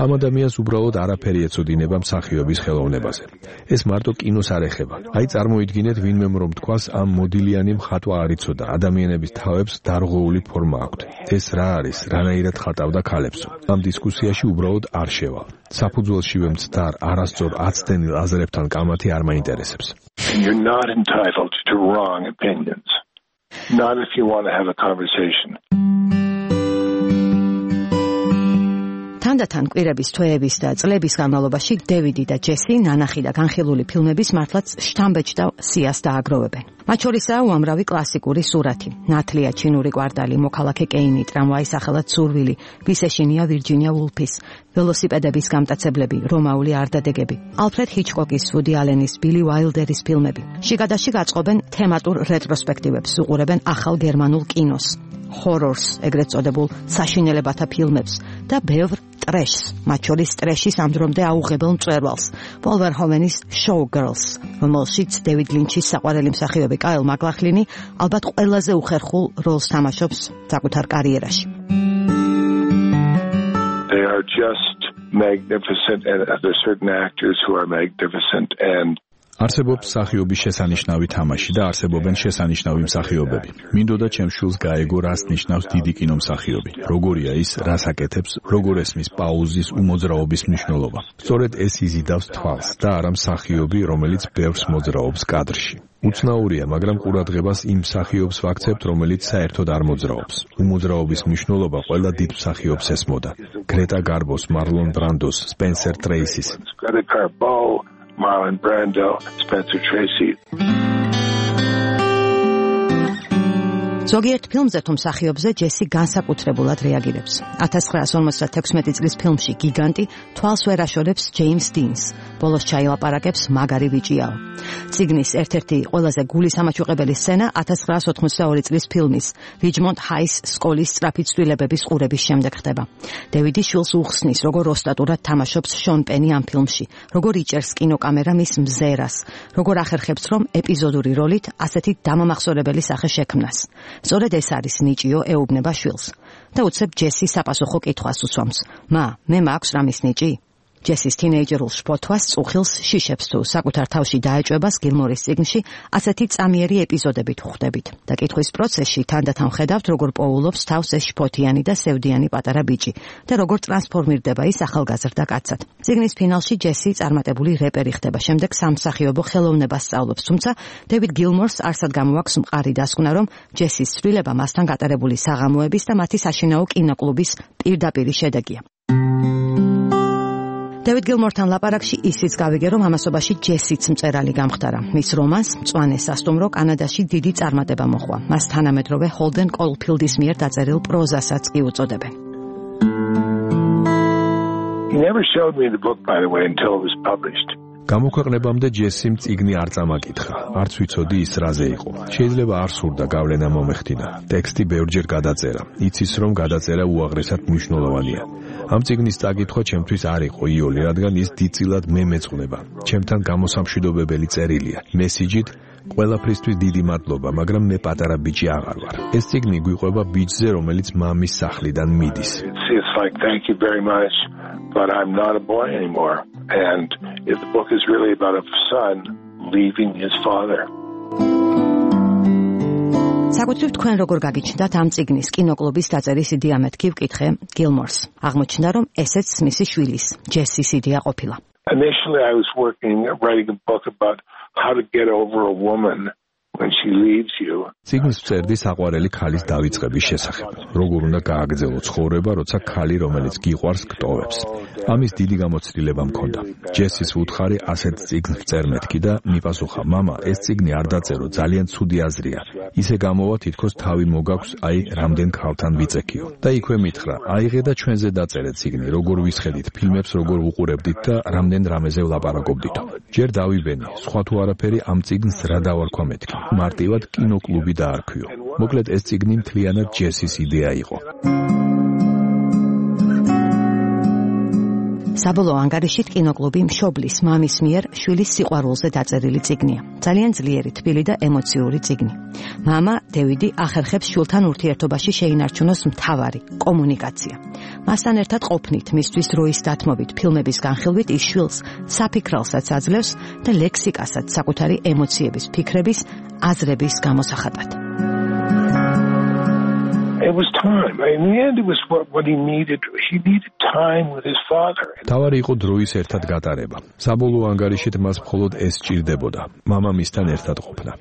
ამ ადამიანს უბრალოდ არაფერი ეცოდინება მსახიობის ხელოვნებაზე. ეს მარტო კინოს არ ეხება. აი წარმოიდგინეთ ვინმემ რომ თქვას ამ მოდილიანი მხატვა არ იცოდა, ადამიანების თავებს დარღვეული ფორმა აქვთ. ეს რა არის, რანაირად ხატავდა ქალებსო. ამ დისკუსიაში უბრალოდ არ შევალ. საფუძველშივე მცდარ არასწორ აცდენილ აზრებთან კამათი არ მაინტერესებს. You're not entitled to wrong opinions. Not if you want to have a conversation. თანდათან კვირების, თვეების და წლების განმავლობაში დევიდი და ჯესი ნანახი და განხილული ფილმების მართლაც შთამბეჭ და სიას დააგროვებენ. მათ შორისაა უამრავი კლასიკური სურათი. ნათლია ჩინური კვარტალი, მოქალაქე კეინი, ტრამვაის სახელად სურვილი, ვის ეშინია ვირჯინია ვულფის, ველოსიპედების გამტაცებლები, რომაული არდადეგები, ალფრედ ჰიჩკოკის, ვუდი ალენის, ბილი უაილდერის ფილმები. შიგადაშიგ აწყობენ თემატურ რეტროსპექტივებს, უყურებენ ახალ გერმანულ კინოს, ჰორორს, ეგრეთ წოდებულ საშინელებათა ფილმებს და ბევრ ტრეშს, მათ შორის ტრეშის ამდრომდე აუღებელ მწვერვალს, პოლ ვერჰოვენის Showgirls, რომელშიც დევიდ ლინჩის საყვარელი მსახიობი კაილ მაკლახლინი ალბათ ყველაზე უხერხულ როლს თამაშობს საკუთარ კარიერაში. They are just magnificent, and there are certain actors who are magnificent, and არსებობს მსახიობის შესანიშნავი თამაში და არსებობენ შესანიშნავი მსახიობები. მინდოდა ჩემს შვილს გაეგო რას ნიშნავს დიდი კინომსახიობი. როგორია ის, რას აკეთებს, როგორ ესმის პაუზის უმოძრაობის მნიშვნელობა. სწორედ ეს იზიდავს თვალს და არა მსახიობი, რომელიც ბევრს მოძრაობს კადრში. უცნაურია, მაგრამ ყურადღებას იმ მსახიობს ვაქცევთ, რომელიც საერთოდ არ მოძრაობს. უმოძრაობის მნიშვნელობა ყველა დიდ მსახიობს ესმოდა. გრეტა გარბოს, მარლონ ბრანდოს, სპენსერ ტრეისის. Marlon Brando, Spencer Tracy. ზოგიერთ ფილმზე თუ მსახიობზე ჯესი განსაკუთრებულად რეაგირებს. 1956 წლის ფილმში გიგანტი თვალს ვერ აშორებს ჯეიმს დინს. ბოლოს ჩაილაპარაკებს მაგარი ბიჭიაო. წიგნის ერთ-ერთი ყველაზე გულისამაჩუყებელი სცენა 1982 წლის ფილმის რიჯმონდ ჰაის სკოლის სწრაფი ცვლილებების ყურების შემდეგ ხდება. დევიდი შვილს უხსნის, როგორ ოსტატურად თამაშობს შონ პენი ამ ფილმში, როგორ იჭერს კინოკამერა მის მზერას, როგორ ახერხებს რომ ეპიზოდური როლით ასეთი დამამახსოვრებელი სახე შექმნას. სწორედ ეს არის ნიჭიო ეუბნება შვილს. და უცებ ჯესი საპასუხო კითხვას უსვამს. მა, მე მაქვს რამის ნიჭი? ჯესის თინეიჯერულ შფოთვას, წუხილს, შიშებს თუ საკუთარ თავში დაეჭვებას გილმორის წიგნში ასეთი წამიერი ეპიზოდებით ხვდებით. და კითხვის პროცესში თანდათან ხედავთ, როგორ პოულობს თავს ეს შფოთიანი და სევდიანი პატარა ბიჭი და როგორ ტრანსფორმირდება ის ახალგაზრდა კაცად. წიგნის ფინალში ჯესი წარმატებული რეპერი ხდება, შემდეგ სამსახიობო ხელოვნებას სწავლობს, თუმცა დევიდ გილმორს არსად გამოაქვს მყარი დასკვნა, რომ ჯესის ცვლილება მასთან გატარებული საღამოების და მათი საშინაო კინოკლუბის პირდაპირი შედეგია. დევიდ გილმორთან ლაპარაკში ისიც გავიგე, რომ ამასობაში ჯესიც მწერალი გამხდარა. მის რომანს მწვანე სასტუმრო კანადაში დიდი წარმატება მოჰყვა. მას თანამედროვე ჰოლდენ კოლფილდის მიერ დაწერილ პროზასაც კი უწოდებენ. never showed me the book, by the way, until it was published. გამოქვეყნებამდე ჯესიმ წიგნი არ წამაკითხა, არც ვიცოდი ის რაზე იყო. შეიძლება არ სურდა გავლენა მომეხდინა. ტექსტი ბევრჯერ გადაწერა. იცის რომ გადაწერა უაღრესად მნიშვნელოვანია. ამ წიგნის წაკითხვა ჩემთვის არ იყო იოლი, რადგან ის დიდწილად მე მეწყუნება. ჩემთან გამოსამშვიდობებელი წერილია. მესიჯით ყველაფრისთვის დიდი მადლობა, მაგრამ მე პატარა ბიჭი აღარ ვარ. ეს წიგნი გვიყვება ბიჭზე, რომელიც მამის სახლიდან მიდის. It's like thank you very much, but I'm not a boy anymore. And if the book is really about a son leaving his father. საკუთრივ თქვენ როგორ გაგიჩნდათ ამ წიგნის კინოკლუბის დაწერის იდეა მეთქი ვკითხე გილმორს. აღმოჩნდა რომ ესეც მისი შვილის, ჯესის იდეა ყოფილა. Initially I was writing a book about how to get over a woman when she leaves you. წიგნს ვწერდი საყვარელი ქალის დავიწყების შესახებ. როგორ უნდა გააგრძელო ცხოვრება, როცა ქალი, რომელიც გიყვარს, გტოვებს. ამის დიდი გამოცდილება მქონდა. ჯესის უთხარი ასეთ წიგნს ვწერ მეთქი და მიპასუხა: მამა, ეს წიგნი არ დაწერო, ძალიან ცუდი აზრია. ისე გამოვა თითქოს თავი მოგაქვს, აი, რამდენ ქალთან ვიწექიო. და იქვე მითხრა: აიღე და ჩვენზე დაწერე წიგნი, როგორ ვისხედით ფილმებს, როგორ ვუყურებდით და რამდენ რამეზე ვლაპარაკობდითო. ჯერ დავიბენი, სხვა თუ არაფერი ამ წიგნს რა დავარქვა მეთქი. მარტივად კინოკლუბი დაარქვიო. მოკლედ ეს წიგნი მთლიანად ჯესის იდეა იყო. საბოლოო ანგარიშით კინოკლუბი მშობლის მამის მიერ შვილის სიყვარულზე დაწერილი წიგნია. ძალიან ძლიერი, თბილი და ემოციური წიგნი. მამა დევიდი ახერხებს შვილთან ურთიერთობაში შეინარჩუნოს მთავარი კომუნიკაცია. მასთან ერთად ყოფნით, მისთვის დროის დათმობით, ფილმების განხილვით ის შვილს საფიქრალსაც აძლევს და ლექსიკასაც საკუთარი ემოციების, ფიქრების, აზრების გამოსახატად. It was time. In the end, it was what he needed. He needed time with his father. თავარი იყო დროის ერთად გატარება. საბოლოო ანგარიშით მას მხოლოდ ეს სჭირდებოდა. მამამისთან ერთად ყოფნა.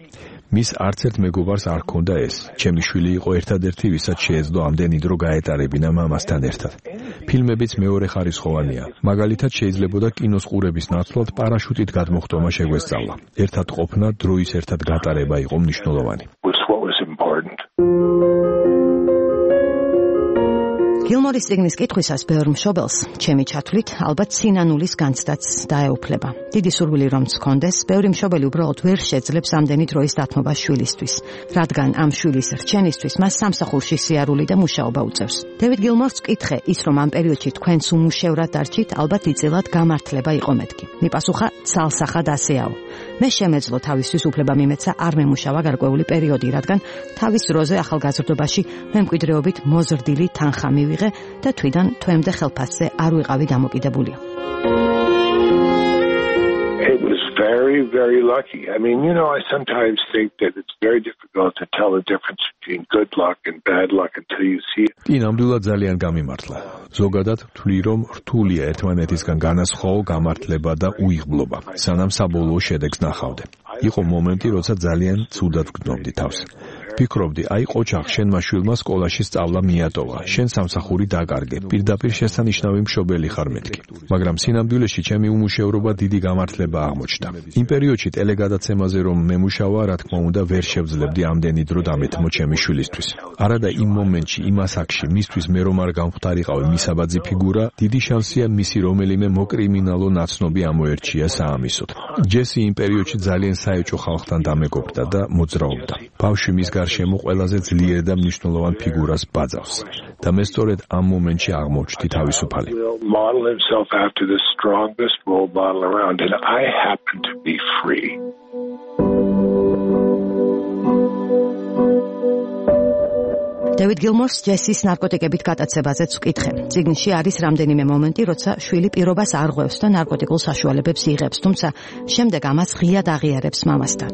მის არც ერთ მეგობარს არ ჰქონდა ეს. ჩემი შვილი იყო ერთადერთი, ვისაც შეეძლო ამდენი დრო გაეტარებინა მამასთან ერთად. ფილმებიც მეორე ხარისხოვანია. მაგალითად შეიძლებოდა კინოს ყურების ნაცვლად პარაშუტით გადმოხტომა შეგვესწავლა. ერთად ყოფნა, დროის ერთად გატარება იყო მნიშვნელოვანი. What was important. გილმორის წიგნის კითხვისას ბევრ მშობელს, ჩემი ჩათვლით, ალბათ სინანულის განცდაც დაეუფლება. დიდი სურვილი რომ მქონდეს, ბევრი მშობელი უბრალოდ ვერ შეძლებს ამდენი დროის დათმობა შვილისთვის, რადგან ამ შვილის რჩენისთვის მას სამსახურში სიარული და მუშაობა უწევს. დევიდ გილმორს ვკითხე, ის რომ ამ პერიოდში თქვენც უმუშევრად დარჩით, ალბათ იწილად გამართლება იყო მეთქი. მიპასუხა: ცალსახად ასეაო. მე შემეძლო თავისთვის უფლება მიმეცა არ მემუშავა გარკვეული პერიოდი, რადგან თავის დროზე ახალგაზრდობაში მემკვიდრეობით მოზრდილი თანხა მივიღე და თვიდან თვემდე ხელფასზე არ ვიყავი დამოკიდებული. It was very, very lucky. I mean, I sometimes think that it's very difficult to tell the difference between good luck and bad luck until you see it. კი, ნამდვილად ძალიან გამიმართლა. ზოგადად ვთვლი, რომ რთულია ერთმანეთისგან განასხვაო გამართლება და უიღბლობა, სანამ საბოლოო შედეგს ნახავდე. იყო მომენტი, როცა ძალიან ცუდად ვგრძნობდი თავს. ვფიქრობდი, აი ყოჩახ, შენმა შვილმა სკოლაში სწავლა მიატოვა, შენ სამსახური დაკარგე, პირდაპირ შესანიშნავი მშობელი ხარ მეთქი. მაგრამ სინამდვილეში ჩემი უმუშევრობა დიდი გამართლება აღმოჩნდა. იმ პერიოდში ტელეგადაცემაზე რომ მემუშავა, რა თქმა უნდა, ვერ შევძლებდი ამდენი დრო დამეთმო ჩემი შვილისთვის. არადა იმ მომენტში, იმ ასაკში, მისთვის მე რომ არ გამختارიყავი მისაბაძი ფიგურა, დიდი შანსია მისი რომელიმე მოკრიმინალო ნაცნობი ამოერჩია საამისოდ. ჯესი იმ პერიოდში ძალიან საეჭვო ხალხთან დამეგობრდა და მოძრაობდა. ბავშვი მის გარშემო ყველაზე ძლიერ და მნიშვნელოვან ფიგურას ბაძავს. და მე სწორედ ამ მომენტში აღმოჩნდი თავისუფალი. Model himself after the strongest role model around, and I happen to be free. დევიდ გილმორს ჯესის ნარკოტიკებით გატაცებაზეც ვკითხე. წიგნში არის რამდენიმე მომენტი, როცა შვილი პირობას არ ღვევს და ნარკოტიკულ საშუალებებს იღებს, თუმცა შემდეგ ამას ღიად აღიარებს მამასთან.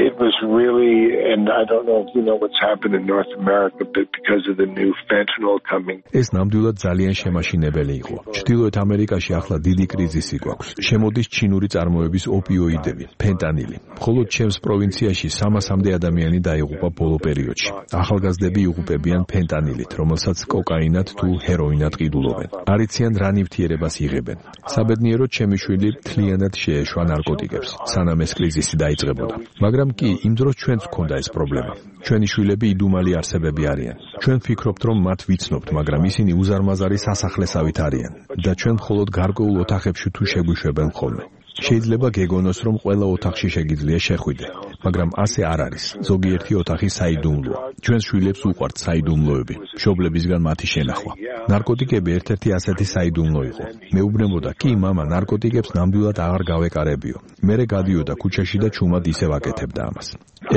It was really, and I don't know if you know what's happened in North America, but because of the new fentanyl coming. ეს ნამდვილად ძალიან შემაშინებელი იყო. ჩრდილოეთ ამერიკაში ახლა დიდი კრიზისი გვაქვს. შემოდის ჩინური წარმოების ოპიოიდები, ფენტანილი. მხოლოდ ჩემს პროვინციაში 300-მდე ადამიანი დაიღუპა ბოლო პერიოდში. ახალგაზრდები იღუპებიან ფენტანილით, რომელსაც კოკაინად თუ ჰეროინად ყიდულობენ. არ იციან რა ნივთიერებას იღებენ. საბედნიეროდ ჩემი შვილი მთლიანად შეეშვა ნარკოტიკებს, სანამ ეს კრიზისი დაიწყებოდა. მაგრამ კი კი იმ დროს ჩვენც გვქონდა ეს პრობლემა. ჩვენი შვილები იდუმალი არსებები არიან. ჩვენ ვფიქრობთ, რომ მათ ვიცნობთ, მაგრამ ისინი უზარმაზარი სასახლესავით არიან და ჩვენ მხოლოდ გარკვეულ ოთახებში თუ შეგვიშვებენ ხოლმე. შეიძლება გეგონოს, რომ ყველა ოთახში შეგიძლია შეხვიდე, მაგრამ ასე არ არის. ზოგიერთი ოთახი საიდუმლოა. ჩვენს შვილებს უყვართ საიდუმლოები, მშობლებისგან მათი შენახვა. ნარკოტიკები ერთ-ერთი ასეთი საიდუმლო იყო. მეუბნებოდა, კი მამა, ნარკოტიკებს ნამდვილად აღარ გავეკარებიო. მერე გადიოდა ქუჩაში და ჩუმად ისევ აკეთებდა ამას.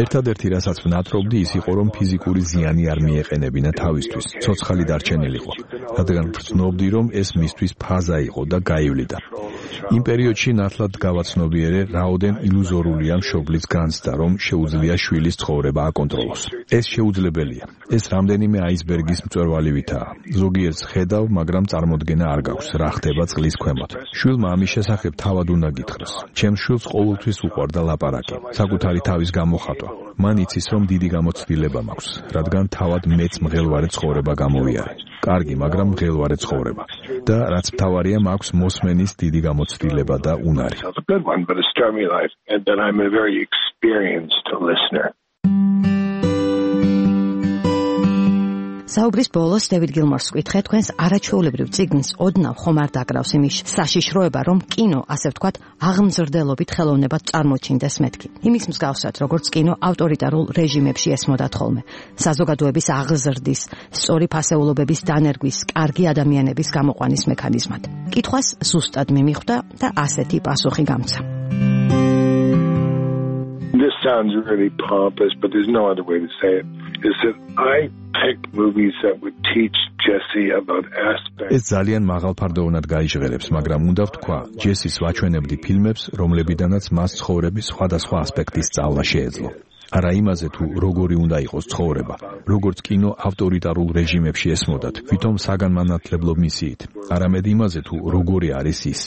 ერთადერთი რასაც ვნატრობდი ის იყო, რომ ფიზიკური ზიანი არ მიეყენებინა თავისთვის, ცოცხალი დარჩენილიყო, რადგან ვცნობდი, რომ ეს მისთვის ფაზა იყო და გაივლიდა. იმ პერიოდში ნათლად გავაცნობიერე, რაოდენ ილუზორულია მშობლის განცდა, რომ შეუძლია შვილის ცხოვრება აკონტროლოს. ეს შეუძლებელია. ეს რამდენიმე აისბერგის მწვერვალივითაა. ზოგიერთს ხედავ, მაგრამ წარმოდგენა არ გაქვს, რა ხდება წყლის ქვემოთ. შვილმა ამის შესახებ თავად უნდა გითხრას. ჩემს შვილს ყოველთვის უყვარდა ლაპარაკი, საკუთარი თავის გამოხატვა. მან იცის, რომ დიდი გამოცდილება მაქვს, რადგან თავად მეც მღელვარე ცხოვრება გამოვიარე. კარგი, მაგრამ მღელვარე ცხოვრება. და რაც მთავარია, მაქვს მოსმენის დიდი გამოცდილება და უნარი. საუბრის ბოლოს დევიდ გილმორს ვკითხე, თქვენს არაჩვეულებრივ წიგნს ოდნავ ხომ არ დაკრავს იმის საშიშროება, რომ კინო, ასე ვთქვათ, აღმზრდელობით ხელოვნებად წარმოჩინდეს მეთქი. იმის მსგავსად, როგორც კინო ავტორიტარულ რეჟიმებში ესმოდათ ხოლმე, საზოგადოების აღზრდის, სწორი ფასეულობების დანერგვის, კარგი ადამიანების გამოყვანის მექანიზმად. კითხვას ზუსტად მიმიხვდა და ასეთი პასუხი გამცა. This sounds really pompous, but there's no other way to say it. Is that I picked movies that would teach Jesse about aspects. ეს ძალიან მაღალფარდოვანად გაიჟღერებს, მაგრამ უნდა ვთქვა, ჯესის ვაჩვენებდი ფილმებს, რომლებიდანაც მას ცხოვრების სხვადასხვა ასპექტის სწავლა შეეძლო. არა იმაზე თუ როგორი უნდა იყოს ცხოვრება, როგორც კინო ავტორიტარულ რეჟიმებში ესმოდათ, თვითონ საგანმანათლებლო მისიით, არამედ იმაზე თუ როგორი არის ის.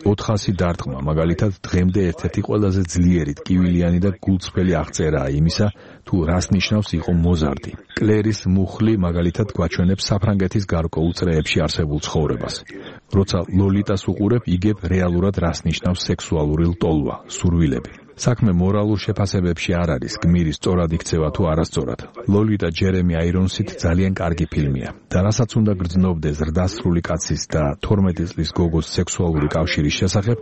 400 დარტყმა, მაგალითად, დღემდე ერთ-ერთი ყველაზე ძლიერი, ტკივილიანი და გულწრფელი აღწერაა იმისა, თუ რას ნიშნავს იყო მოზარდი. კლერის მუხლი, მაგალითად, გვაჩვენებს საფრანგეთის გარკვეულ წრეებში არსებულ ცხოვრებას. როცა ლოლიტას უყურებ, იგებ რეალურად რას ნიშნავს სექსუალური ლტოლვა, სურვილები. საქმე მორალურ შეფასებებში არ არის, გმირის სწორად იქცევა თუ არასწორად. ლოლიტა ჯერემი აირონსით ძალიან კარგი ფილმია. და რასაც უნდა გრძნობდე ზრდასრული კაცის და 12 წლის გოგოს სექსუალური კავშირის შესახებ,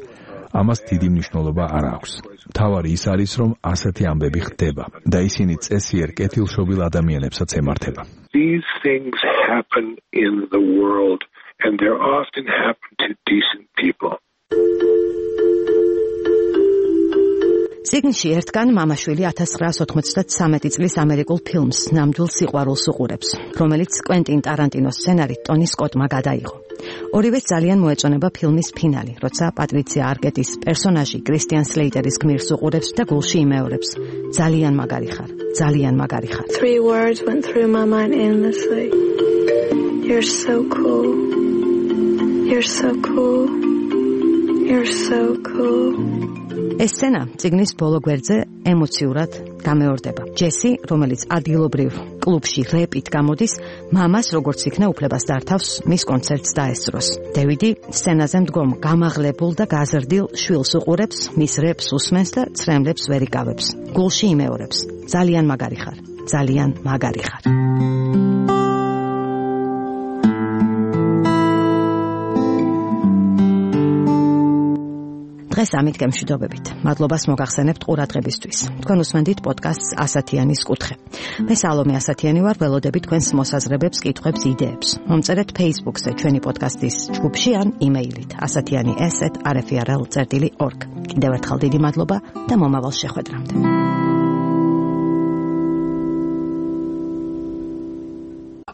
ამას დიდი მნიშვნელობა არ აქვს. მთავარი ის არის, რომ ასეთი ამბები ხდება და ისინი წესიერ კეთილშობილ ადამიანებსაც ემართება. These things happen in the world and they often happen to decent people. წიგნში ერთგან მამაშვილი 1993 წლის ამერიკულ ფილმს ნამდვილ სიყვარულს უყურებს, რომელიც კვენტინ ტარანტინოს სცენარით ტონი სკოტმა გადაიღო. ორივეს ძალიან მოეწონება ფილმის ფინალი, როცა პატრიცია არკეტის პერსონაჟი კრისტიან სლეიტერის გმირს უყურებს და გულში იმეორებს. ძალიან მაგარი ხარ, ძალიან მაგარი ხარ. 3 words went through my mind endlessly. You're so cool. You're so cool. You're so cool. ეს სცენა წიგნის ბოლო გვერდზე ემოციურად გამეორდება. ჯესი, რომელიც ადგილობრივ კლუბში რეპით გამოდის, მამას როგორც იქნა უფლებას დართავს მის კონცერტს დაესწროს. დევიდი სცენაზე მდგომ გამაღლებულ და გაზრდილ შვილს უყურებს, მის რეპს უსმენს და ცრემლებს ვერ იკავებს. გულში იმეორებს. ძალიან მაგარი ხარ, ძალიან მაგარი ხარ. დღეს ამით გემშვიდობებით. მადლობას მოგახსენებთ ყურადღებისთვის. თქვენ უსმენთ პოდკასტს ასათიანის კუთხე. მე სალომე ასათიანი ვარ, ველოდები თქვენს მოსაზრებებს, კითხვებს, იდეებს. მომწერეთ Facebook-ზე ჩვენი პოდკასტის ჯგუფში ან იმეილით asatiani@rfrl.org. კიდევ ერთხელ დიდი მადლობა და მომავალ შეხვედრამდე.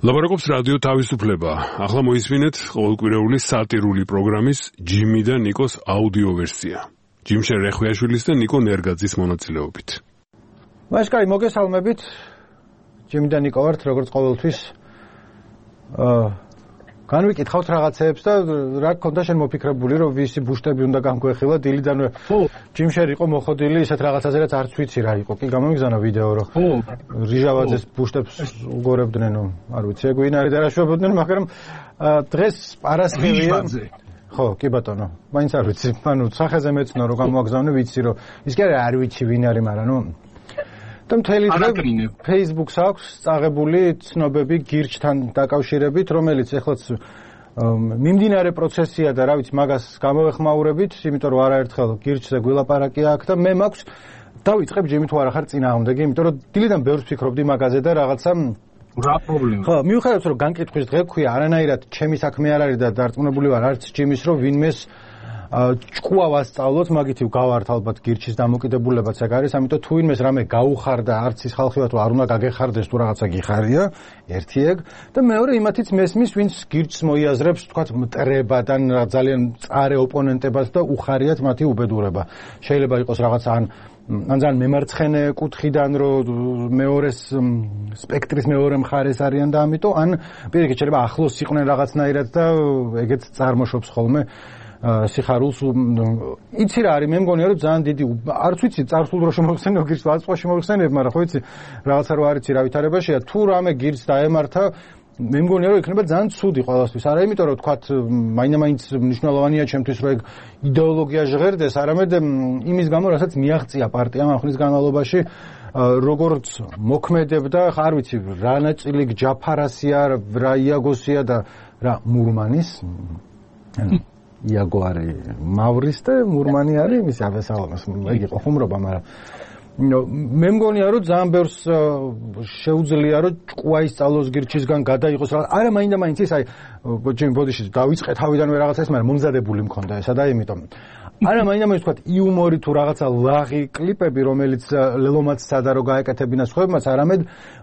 ლაპარაკობს რადიო თავისუფლება. ახლა მოისმინეთ ყოველკვირეული სატირული პროგრამის ჯიმი და ნიკოს აუდიო ვერსია. ჯიმშენ რეხვიაშვილის და ნიკო ნერგაძის მონაწილეობით. მაშკარი მოგესალმებით. ჯიმი და ნიკო ვართ, როგორც ყოველთვის. განვიკითხავთ რაღაცეებს და რა გქონდა შენ მოფიქრებული, რომ ვისი ბუშტები უნდა განგვეხილა დილიდანვე. ჯიმშენ იყო მოხოდილი ისეთ რაღაცაზე, რაც არც ვიცი რა იყო. კი გამომიგზავნა ვიდეო, რომ რიჟავაძეს ბუშტებს უგორებდნენ, არ ვიცი, ეგ ვინ არის და რა შვებოდნენ, მაგრამ დღეს არასხივია. ხო, კი ბატონო. მაინც არ ვიცი, ანუ სახეზე მეცნო რომ გამოაგზავნე, ვიცი რომ ის კი არ ვიცი ვინ არის, მაგრამ და მთელი დღე Facebook-ს აქვს წაღებული ცნობები გირჩთან დაკავშირებით, რომელიც ეხლაც მიმდინარე პროცესია და რა ვიცი, მაგას გამოვეხმაურებით, იმიტომ რომ არაერთხელ გირჩზე გვილაპარაკი აქ და მე მაქვს დავიწყებ ჯიმი თუ არა ხარ წინააღმდეგი, იმიტომ რომ დილიდან ბევრს ფიქრობდი მაგაზე და რაღაცა რა პრობლემა? ხო, მიუხედავად რომ განკითხვის დღე გვქვია, არანაირად ჩემი საქმე არ არის და დარწმუნებული ვარ არც ჯიმის რომ ვინმეს ჭკუა ვასწავლოთ, მაგით გავართ ალბათ გირჩის დამოკიდებულებაც ეგ არის, ამიტომ თუ ვინმეს რამე გაუხარდა, არც ის ხალხი ვარ თუ არ უნდა გაგეხარდეს თუ რაღაცა გიხარია, ერთი ეგ და მეორე იმათიც მესმის, ვინც გირჩს მოიაზრებს, თქვათ მტრებადან ძალიან წარე ოპონენტებას და უხარიათ მათი უბედურება. შეიძლება იყოს რაღაცა ან ძალიან მემარცხენე კუთხიდან რომ მეორეს სპექტრის მეორე მხარეს არიან და ამიტომ ან პირიქით შეიძლება ახლოს იყვნენ რაღაცნაირად და ეგეც წარმოშობს ხოლმე სიხარულს იცი რა არის მე მგონია რომ ძალიან დიდი არც ვიცი წარსულ დრო შემოხსენებ გირჩს ვაწყოში მოხსენებ მაგრამ ხო იცი რაღაცა რო არიცი რა ვითარებაშია თუ რამე გირჩს დაემართა მე მგონია რომ იქნება ძალიან ცუდი ყველასთვის არა იმიტომ რომ თქვათ მაინც მნიშვნელოვანია ჩემთვის რომ ეგ იდეოლოგია ჟღერდეს არამედ იმის გამო რასაც მიაღწია პარტიამ ამ ხნის განმავლობაში როგორც მოქმედებდა არ ვიცი რა ნაწილი ჯაფარასია რა იაგოსია და რა მურმანის იაგო არის მავრის და მურმანი არის იმის აბესალამის ეგ იყო ხუმრობა მაგრამ მე მგონია რომ ძალიან ბევრს შეუძლია რომ ჭკუა ისწავლოს გირჩისგან გადაიღოს რა არა მაინც ის აი ჯიმ ბოდიში დავიწყე თავიდანვე რაღაცა ეს მაგრამ მომზადებული მქონდა ესა და იმიტომ არა მაინც თქვა იუმორი თუ რაღაცა ლაღი კლიპები რომელიც ლელომაც სადა რო გაეკეთებინა სხვებმაც არამედ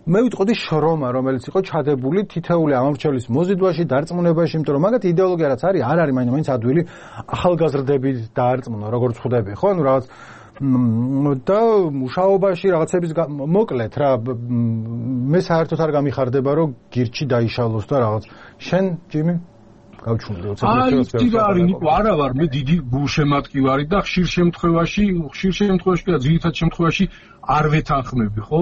მე ვიტყოდი შრომა რომელიც იყო ჩადებული თითეული ამორჩევის მოზიდვაში დარწმუნებაში იმიტომ რომ მაგათ იდეოლოგია რაც არის არ არის მაინც ადვილი ახალგაზრდები დაარწმუნო როგორც ხვდები ხო ანუ რაღაც და მუშაობაში რაღაცების მოკლედ რა მე საერთოდ არ გამიხარდება რომ გირჩი დაიშალოს და რაღაც შენ ჯიმი გავჩუნდი ოცე ნიკო არა ვარ მე დიდი გულშემატკი ვარი და ხშირ შემთხვევაში და ძირითად შემთხვევაში არ ვეთანხმები ხო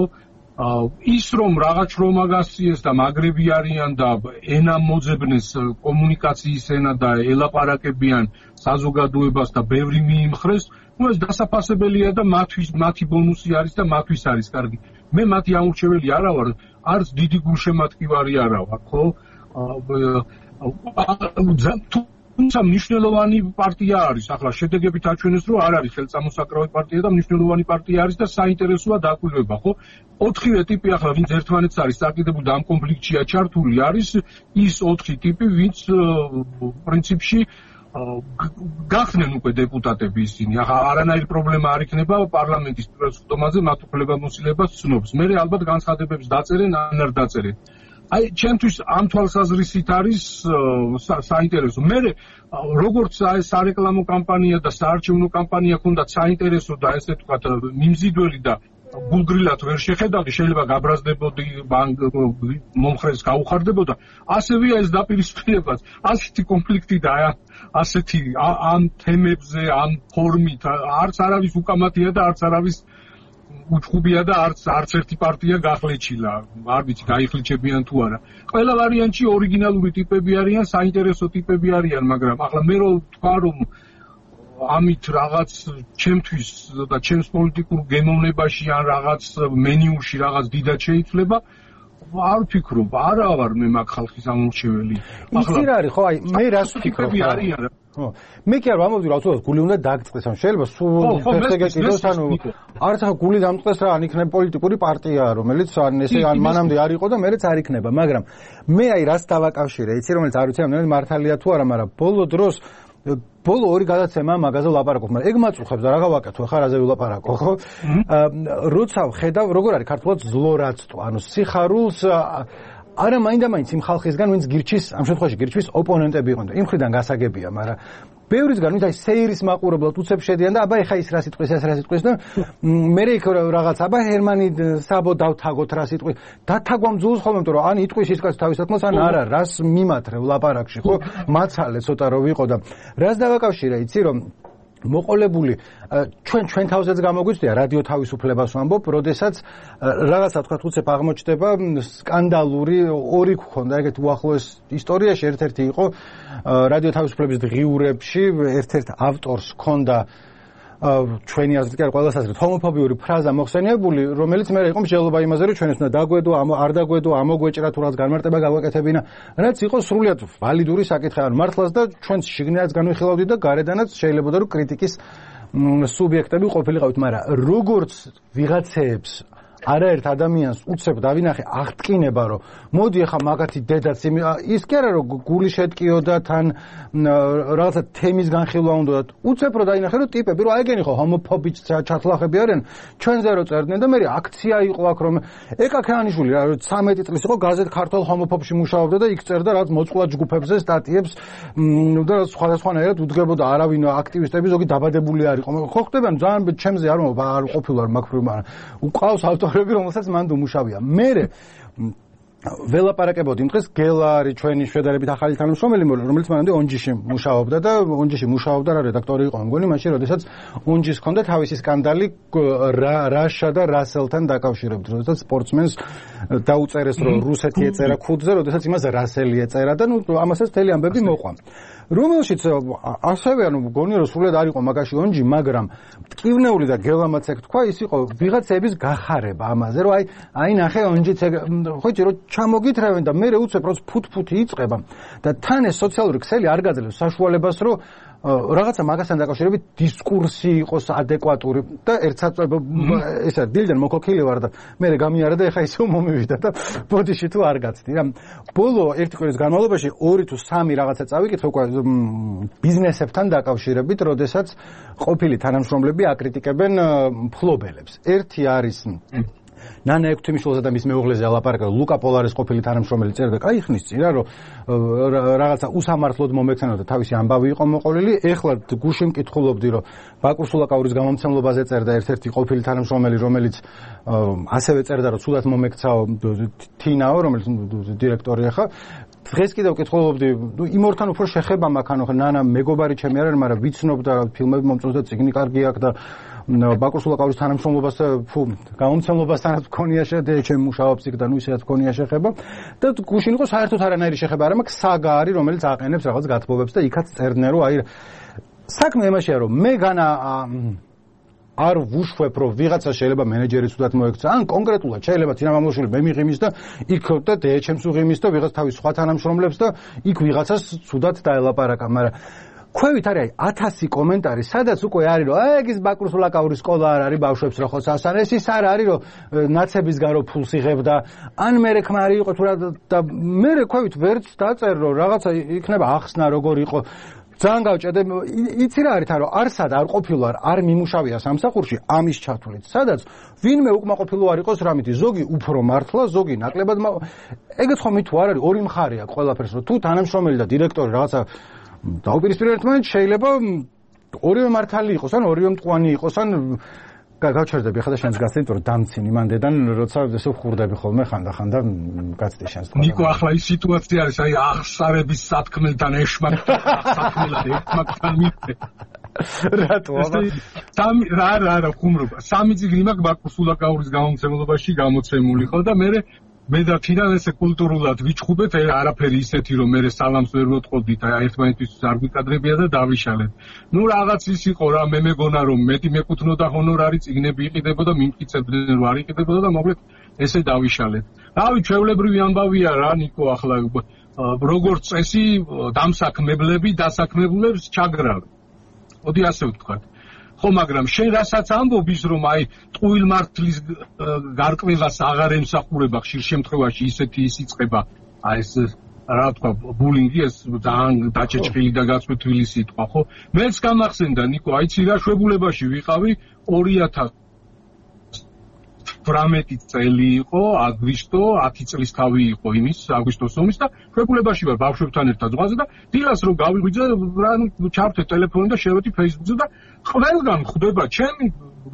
ის რომ რაღაც შრომა გასწიეს და მაგრები არიან და ენა მოძებნეს კომუნიკაციის ენა და ელაპარაკებიან საზოგადოებას და ბევრი მიიმხრეს ну ეს დასაფასებელია და მათი ბონუსი არის და მათთვის არის კარგი მე მათი ამორჩეველი არა ვარ არც დიდი გულშემატკი ვარი არა ვარ ხო თუმცა მნიშვნელოვანი პარტია არის ახლა შედეგებით აჩვენეს რომ არ არის ხელწამოსაკრავი პარტია და მნიშვნელოვანი პარტია არის და საინტერესოა დაკვირვება ხო 4 ტიპი ახლა ვინც ერთმანეთს არის საკიდებული და ამ კონფლიქტშია ჩართული არის ის 4 ტიპი ვინც პრინციპში გახდნენ უკვე დეპუტატები ისინი ახლა არანაირი პრობლემა არ იქნება პარლამენტის პირველსხდომაზე მათ უფლებამოსილებას ცნობს მე ალბათ განცხადებებს დაწერენ ან არ დაწერენ აი ჩემთვის ამ თვალსაზრისით არის საინტერესო მე როგორც აი სარეკლამო კამპანია და საარჩევნო კამპანია ქონდა საინტერესო და ესე ვთქვათ მიმზიდველი და გულგრილად ვერ შეხედავდი შეიძლება გაბრაზდებოდი მომხრეს გაუხარდებოდა ასევეა ეს დაპირისპირებაც ასეთი კონფლიქტი და ასეთი ამ თემებზე ამ ფორმით არც არავის უკამათია და არც არავის უჩხუბია და არც ერთი პარტია გახლეჩილა არ ვიცი გაიხლიჩებიან თუ არა ყველა ვარიანტში ორიგინალური ტიპები არიან საინტერესო ტიპები არიან მაგრამ ახლა მე რო თქვა რომ ამით რაღაც ჩემთვის და ჩემს პოლიტიკურ გემოვნებაში ან რაღაც მენიუში რაღაც დიდად შეიცვლება არ ვფიქრობ არა ვარ მე მაგ ხალხის ამორჩეველი ახლა ის არის ხო აი მე რას ვფიქრობ ხო მე კი არ ვამბობდი რა თქმა უნდა გული უნდა დაგწყდეს ან შეიძლება სულ ფეხზე გეკიდოს ანუ არც ახლა გული დამწყდეს რა ან იქნება პოლიტიკური პარტია რომელიც ან ესე ან მანამდე არ იყო და მერეც არ იქნება მაგრამ მე აი რას დავაკავშირე იცი რომელიც არ ვიცი ამდენ მართალია თუ არა მაგრამ ბოლო დროს ბოლო ორი გადაცემა მაგაზე ვლაპარაკობ მაგრამ ეგ მაწუხებს და რა გავაკეთო ხარ აზე ვლაპარაკო ხო როცა ვხედავ როგორ არის ქართულად ზლორაცტო ანუ სიხარულს არა მაინც იმ ხალხისგან ვინც გირჩის ამ შემთხვევაში გირჩის ოპონენტები იყვნენ და იმ ხრიდან გასაგებია მაგრამ ბევრისგან ვინც აი სეირის მაყურებლად უცებ შედიან და აბა ეხა ის რა სიტყვის ეს რა სიტყვის და მე იქ რაღაც აბა ჰერმანი საბო დავთაგოთ რა სიტყვის დათაგვამ ძულს ხოლმე იმიტომ რომ ან იტყვის ის კაცი თავისათქმელს ან არა რას მიმათრე ლაპარაკში ხო მაცალე ცოტა რო ვიყო და რას დავაკავშირე იცი რომ მოყოლებული ჩვენ თავზეც გამოგვიცდია რადიო თავისუფლებას ვამბობ, როდესაც რაღაცა თქვა უცებ აღმოჩნდება სკანდალური ორი გქონდა ეგეთ უახლოეს ისტორიაში ერთ-ერთი იყო რადიო თავისუფლების დღიურებში ერთ-ერთ ავტორს ჰქონდა ჩვენი აზრით კი არ ყველას აზრით ჰომოფობიური ფრაზა მოხსენიებული, რომელიც მე იყო მსჯელობა იმაზე, რომ ჩვენს უნდა დაგვედო, არ დაგვედო, ამოგვეჭრა თუ რაღაც განმარტება გავაკეთებინა, რაც იყო სრულიად ვალიდური საკითხი, ან მართლაც და ჩვენს შიგნითაც განვიხილავდით და გარედანაც შეიძლება რომ კრიტიკის სუბიექტები ყოფილიყავით, მაგრამ როგორც ვიღაცეებს არაერთ ადამიანს უცებ დავინახე აღტკინება, რომ მოდი ახლა მაგათი დედაც ის კი არა რომ გული შეტკიო და თან რაღაცა თემის განხილვა უნდა და უცებ რომ დაინახე რომ ტიპები რომ აიგენი ხო ჰომოფობიც ჩათლახები არიან ჩვენზე რო წერდნენ და მე აქცია იყო აქ რომ ეკა ქაანიშვილი რა 13 წლის იყო გაზეთ ქართულ ჰომოფობში მუშაობდა და იქ წერდა რაღაც მოწყვლად ჯგუფებზე სტატიებს და სხვადასხვანაირად უდგებოდა არავინ აქტივისტები ზოგი დაბადებული არ იყო ხო ხდებიან ძალიან ჩემზე არ ყოფილა მაგფრივ მაგრამ უყავს ავტორები რომელსაც მანდ უმუშავია მე ველაპარაკებოდი იმ დღეს გელა არის ჩვენი შედარებით ახალი თანამშრომელი რომელიც მანამდე ონჯიში მუშაობდა და ონჯიში მუშაობდა რა რედაქტორი იყო მგონი მაშინ როდესაც ონჯის ჰქონდა თავისი სკანდალი რაშა და რასელთან დაკავშირებით როდესაც სპორტსმენს დაუწერეს რომ რუსეთი ეწერა ქუდზე როდესაც იმას რასელი ეწერა და ნუ ამასაც მთელი ამბები მოყვა რომელშიც ასევე ანუ მგონი რომ სულად არ იყო მაგაში ონჯი მაგრამ ტკივნეული და გელამაც ეგ თქვა ის იყო ვიღაცების გახარება ამაზე რომ აი ნახე ონჯიც ხოჭი რომ ჩამოგითრევენ და მე უცებ როც ფუთფუთი იწყება და თან ეს სოციალური ქსელი არ გაძლევს საშუალებას რომ რაღაცა მაგასთან დაკავშირებით დისკურსი იყოს ადეკვატური და ერთსაც ესა დილიდან მოქოქილი ვარ და მე გამიარა და ეხა ისევ მომივიდა და ბოდიში თუ არ გაცდი რა ბოლო ერთი კვირის განმავლობაში 2 თუ 3 რაღაცა წავიკითხე უკვე ბიზნესებთან დაკავშირებით როდესაც ყოფილი თანამშრომლები აკრიტიკებენ მფლობელებს ერთი არის ნანა ექვთიმიშვილზე და მის მეუღლეზე ალაპარაკა ლუკა პოლარის ყოფილი თანამშრომელი წერდა კაი ხნის წინ რა რომ რაღაცა უსამართლოდ მომექცენოდა თავისი ამბავი იყო მოყოლილი ეხლა გუშინ მკითხულობდი რომ ბაკურ სულაკაურის გამომცემლობაზე წერდა ერთ-ერთი ყოფილი თანამშრომელი რომელიც ასევე წერდა რომ სულად მომექცაო თინაო რომელიც დირექტორი ახლა დღეს კიდევ მკითხულობდი იმ ორთან უფრო შეხება მაქვს ანუ ნანა მეგობარი ჩემი არ არის მაგრამ ვიცნობ და ფილმები მომწონს და წიგნი კარგი აქვს და ბაკურ სულაკაურის თანამშრომლობას გამომცემლობასთანაც მქონია შედეგი ჩემ მუშაობს იქ და ნუ ისედაც მქონია შეხება და გუშინ იყო საერთოდ არანაირი შეხება არ მაქვს საგა არის რომელიც აყენებს რაღაც გათბობებს და იქაც წერდნენ რომ აი საქმე იმაშია რომ მე განა არ ვუშვებ რომ ვიღაცა შეიძლება მენეჯერი ცუდად მოექცა ან კონკრეტულად შეიძლება წინამამლოშული მე მიღიმის და იქ და დეეჩემს უღიმის და ვიღაც თავის სხვა თანამშრომლებს და იქ ვიღაცას ცუდად დაელაპარაკა მაგრამ ქვევით არის 1000 კომენტარი სადაც უკვე არის რომ ეგ ის ბაკურ სულაკაურის სკოლა არ არის ბავშვებს რო ხოცავსან ეს ის არ არის რომ ნაცების გარო ფულს იღებდა ან მე რეკმარი იყო თუ რა და მე ქვევით ვერც დაწერ რომ რაღაცა იქნება ახსნა როგორ იყო ძალიან გავჭედე იცი რა არის რომ არსად არ ყოფილა არ მიმუშავია სამსახურში ამის ჩათვლით სადაც ვინმე უკმაყოფილო არ იყოს რამითი ზოგი უფრო მართლა ზოგი ნაკლებად ეგეც ხომ მით თუ არ არის ორი მხარე აქვს ყველაფერს რომ თუ თანამშრომელი და დირექტორი რაღაცა დაუპირისპირებთ ერთმანეთს შეიძლება ორივე მართალი იყოს ან ორივე მტყვანი იყოს ან გავჩერდები ახლა და შენს გასცემ იმიტომ რომ დამცინი მანდედან როცა ესე ხურდები ხოლმე ხანდახან და გაცდი შენს ნიკო ახლა ის სიტუაცია არის აი აღსარების სათქმელთან ეშმაკთან სათქმელად ერთმანეთთან მიწე რატო რა ხუმრობა სამი წიგნი მაქვს ბაკურ სულაკაურის გამომცემლობაში გამოცემული ხო და მე და თინან ესე კულტურულად ვიჩხუბეთ არაფერი ისეთი რომ მე სალამს ვერ ვოტყოდით აი ერთმანეთისთვის არ გვიკადრებია და დავიშალეთ ნუ რაღაც ის იყო რა მე მეგონა რომ მეტი მეკუთვნოდა ჰონორარი წიგნები იყიდებოდა მიმტკიცებდნენ რომ არ იყიდებოდა და მოკლედ ესე დავიშალეთ რავი ჩვეულებრივი ამბავია რა ნიკო ახლა როგორც წესი დამსაქმებლები დასაქმებულებს ჩაგრავენ მოდი ასე ვთქვათ ხო მაგრამ შენ რასაც ამბობ ის რომ აი ტყუილ მართლის გარკვევას აღარ ემსახურება ხშირ შემთხვევაში ისეთი ის იწყება აი ეს რა თქვა ბულინგი ეს ძალიან დაჭეჭილი და გაწვეთილი სიტყვა ხო მეც გამახსენდა ნიკო აიცი რა შვებულებაში ვიყავი 2018 წელი იყო აგვისტო 10 წლის თავი იყო იმის აგვისტოს ომის და შვებულებაში ვარ ბავშვებთან ერთად ზღვაზე და დილას რომ გავიღვიძე რა ჩავთე ტელეფონი და შევედი Facebook-ზე და ყველგან ხვდება ჩემი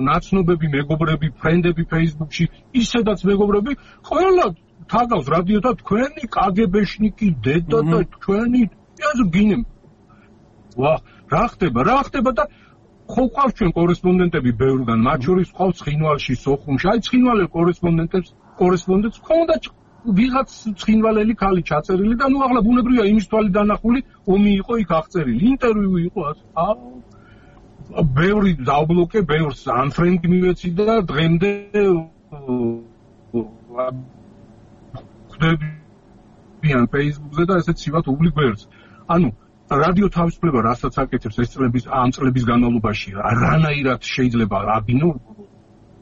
ნაცნობები მეგობრები ფრენდები Facebook-ში ისედაც მეგობრები ყველა თაგავს რადიო და თქვენი კგბ-შნიკი დედა და თქვენი აზ გინემ ვა რა ხდება და ხო ყავს ჩვენ კორესპონდენტები ბევრგან მათ შორის ყავს ცხინვალში სოხუმში აი ცხინვალელ კორესპონდენტს ხონდა ვიღაც ცხინვალელი ქალი ჩაწერილი და ნუ ახლა ბუნებრივია იმის თვალი დანახული ომი იყო იქ აღწერილი ინტერვიუ იყო ბევრი დავბლოკე, ბევრს unfriend მივეცი და დღემდე ხვდებიან Facebook-ზე და ესეც ცივად უვლი გვერდს. ანუ რადიო თავისუფლება რასაც აკეთებს ეს ამ წლების განმავლობაში, რანაირად შეიძლება აგინო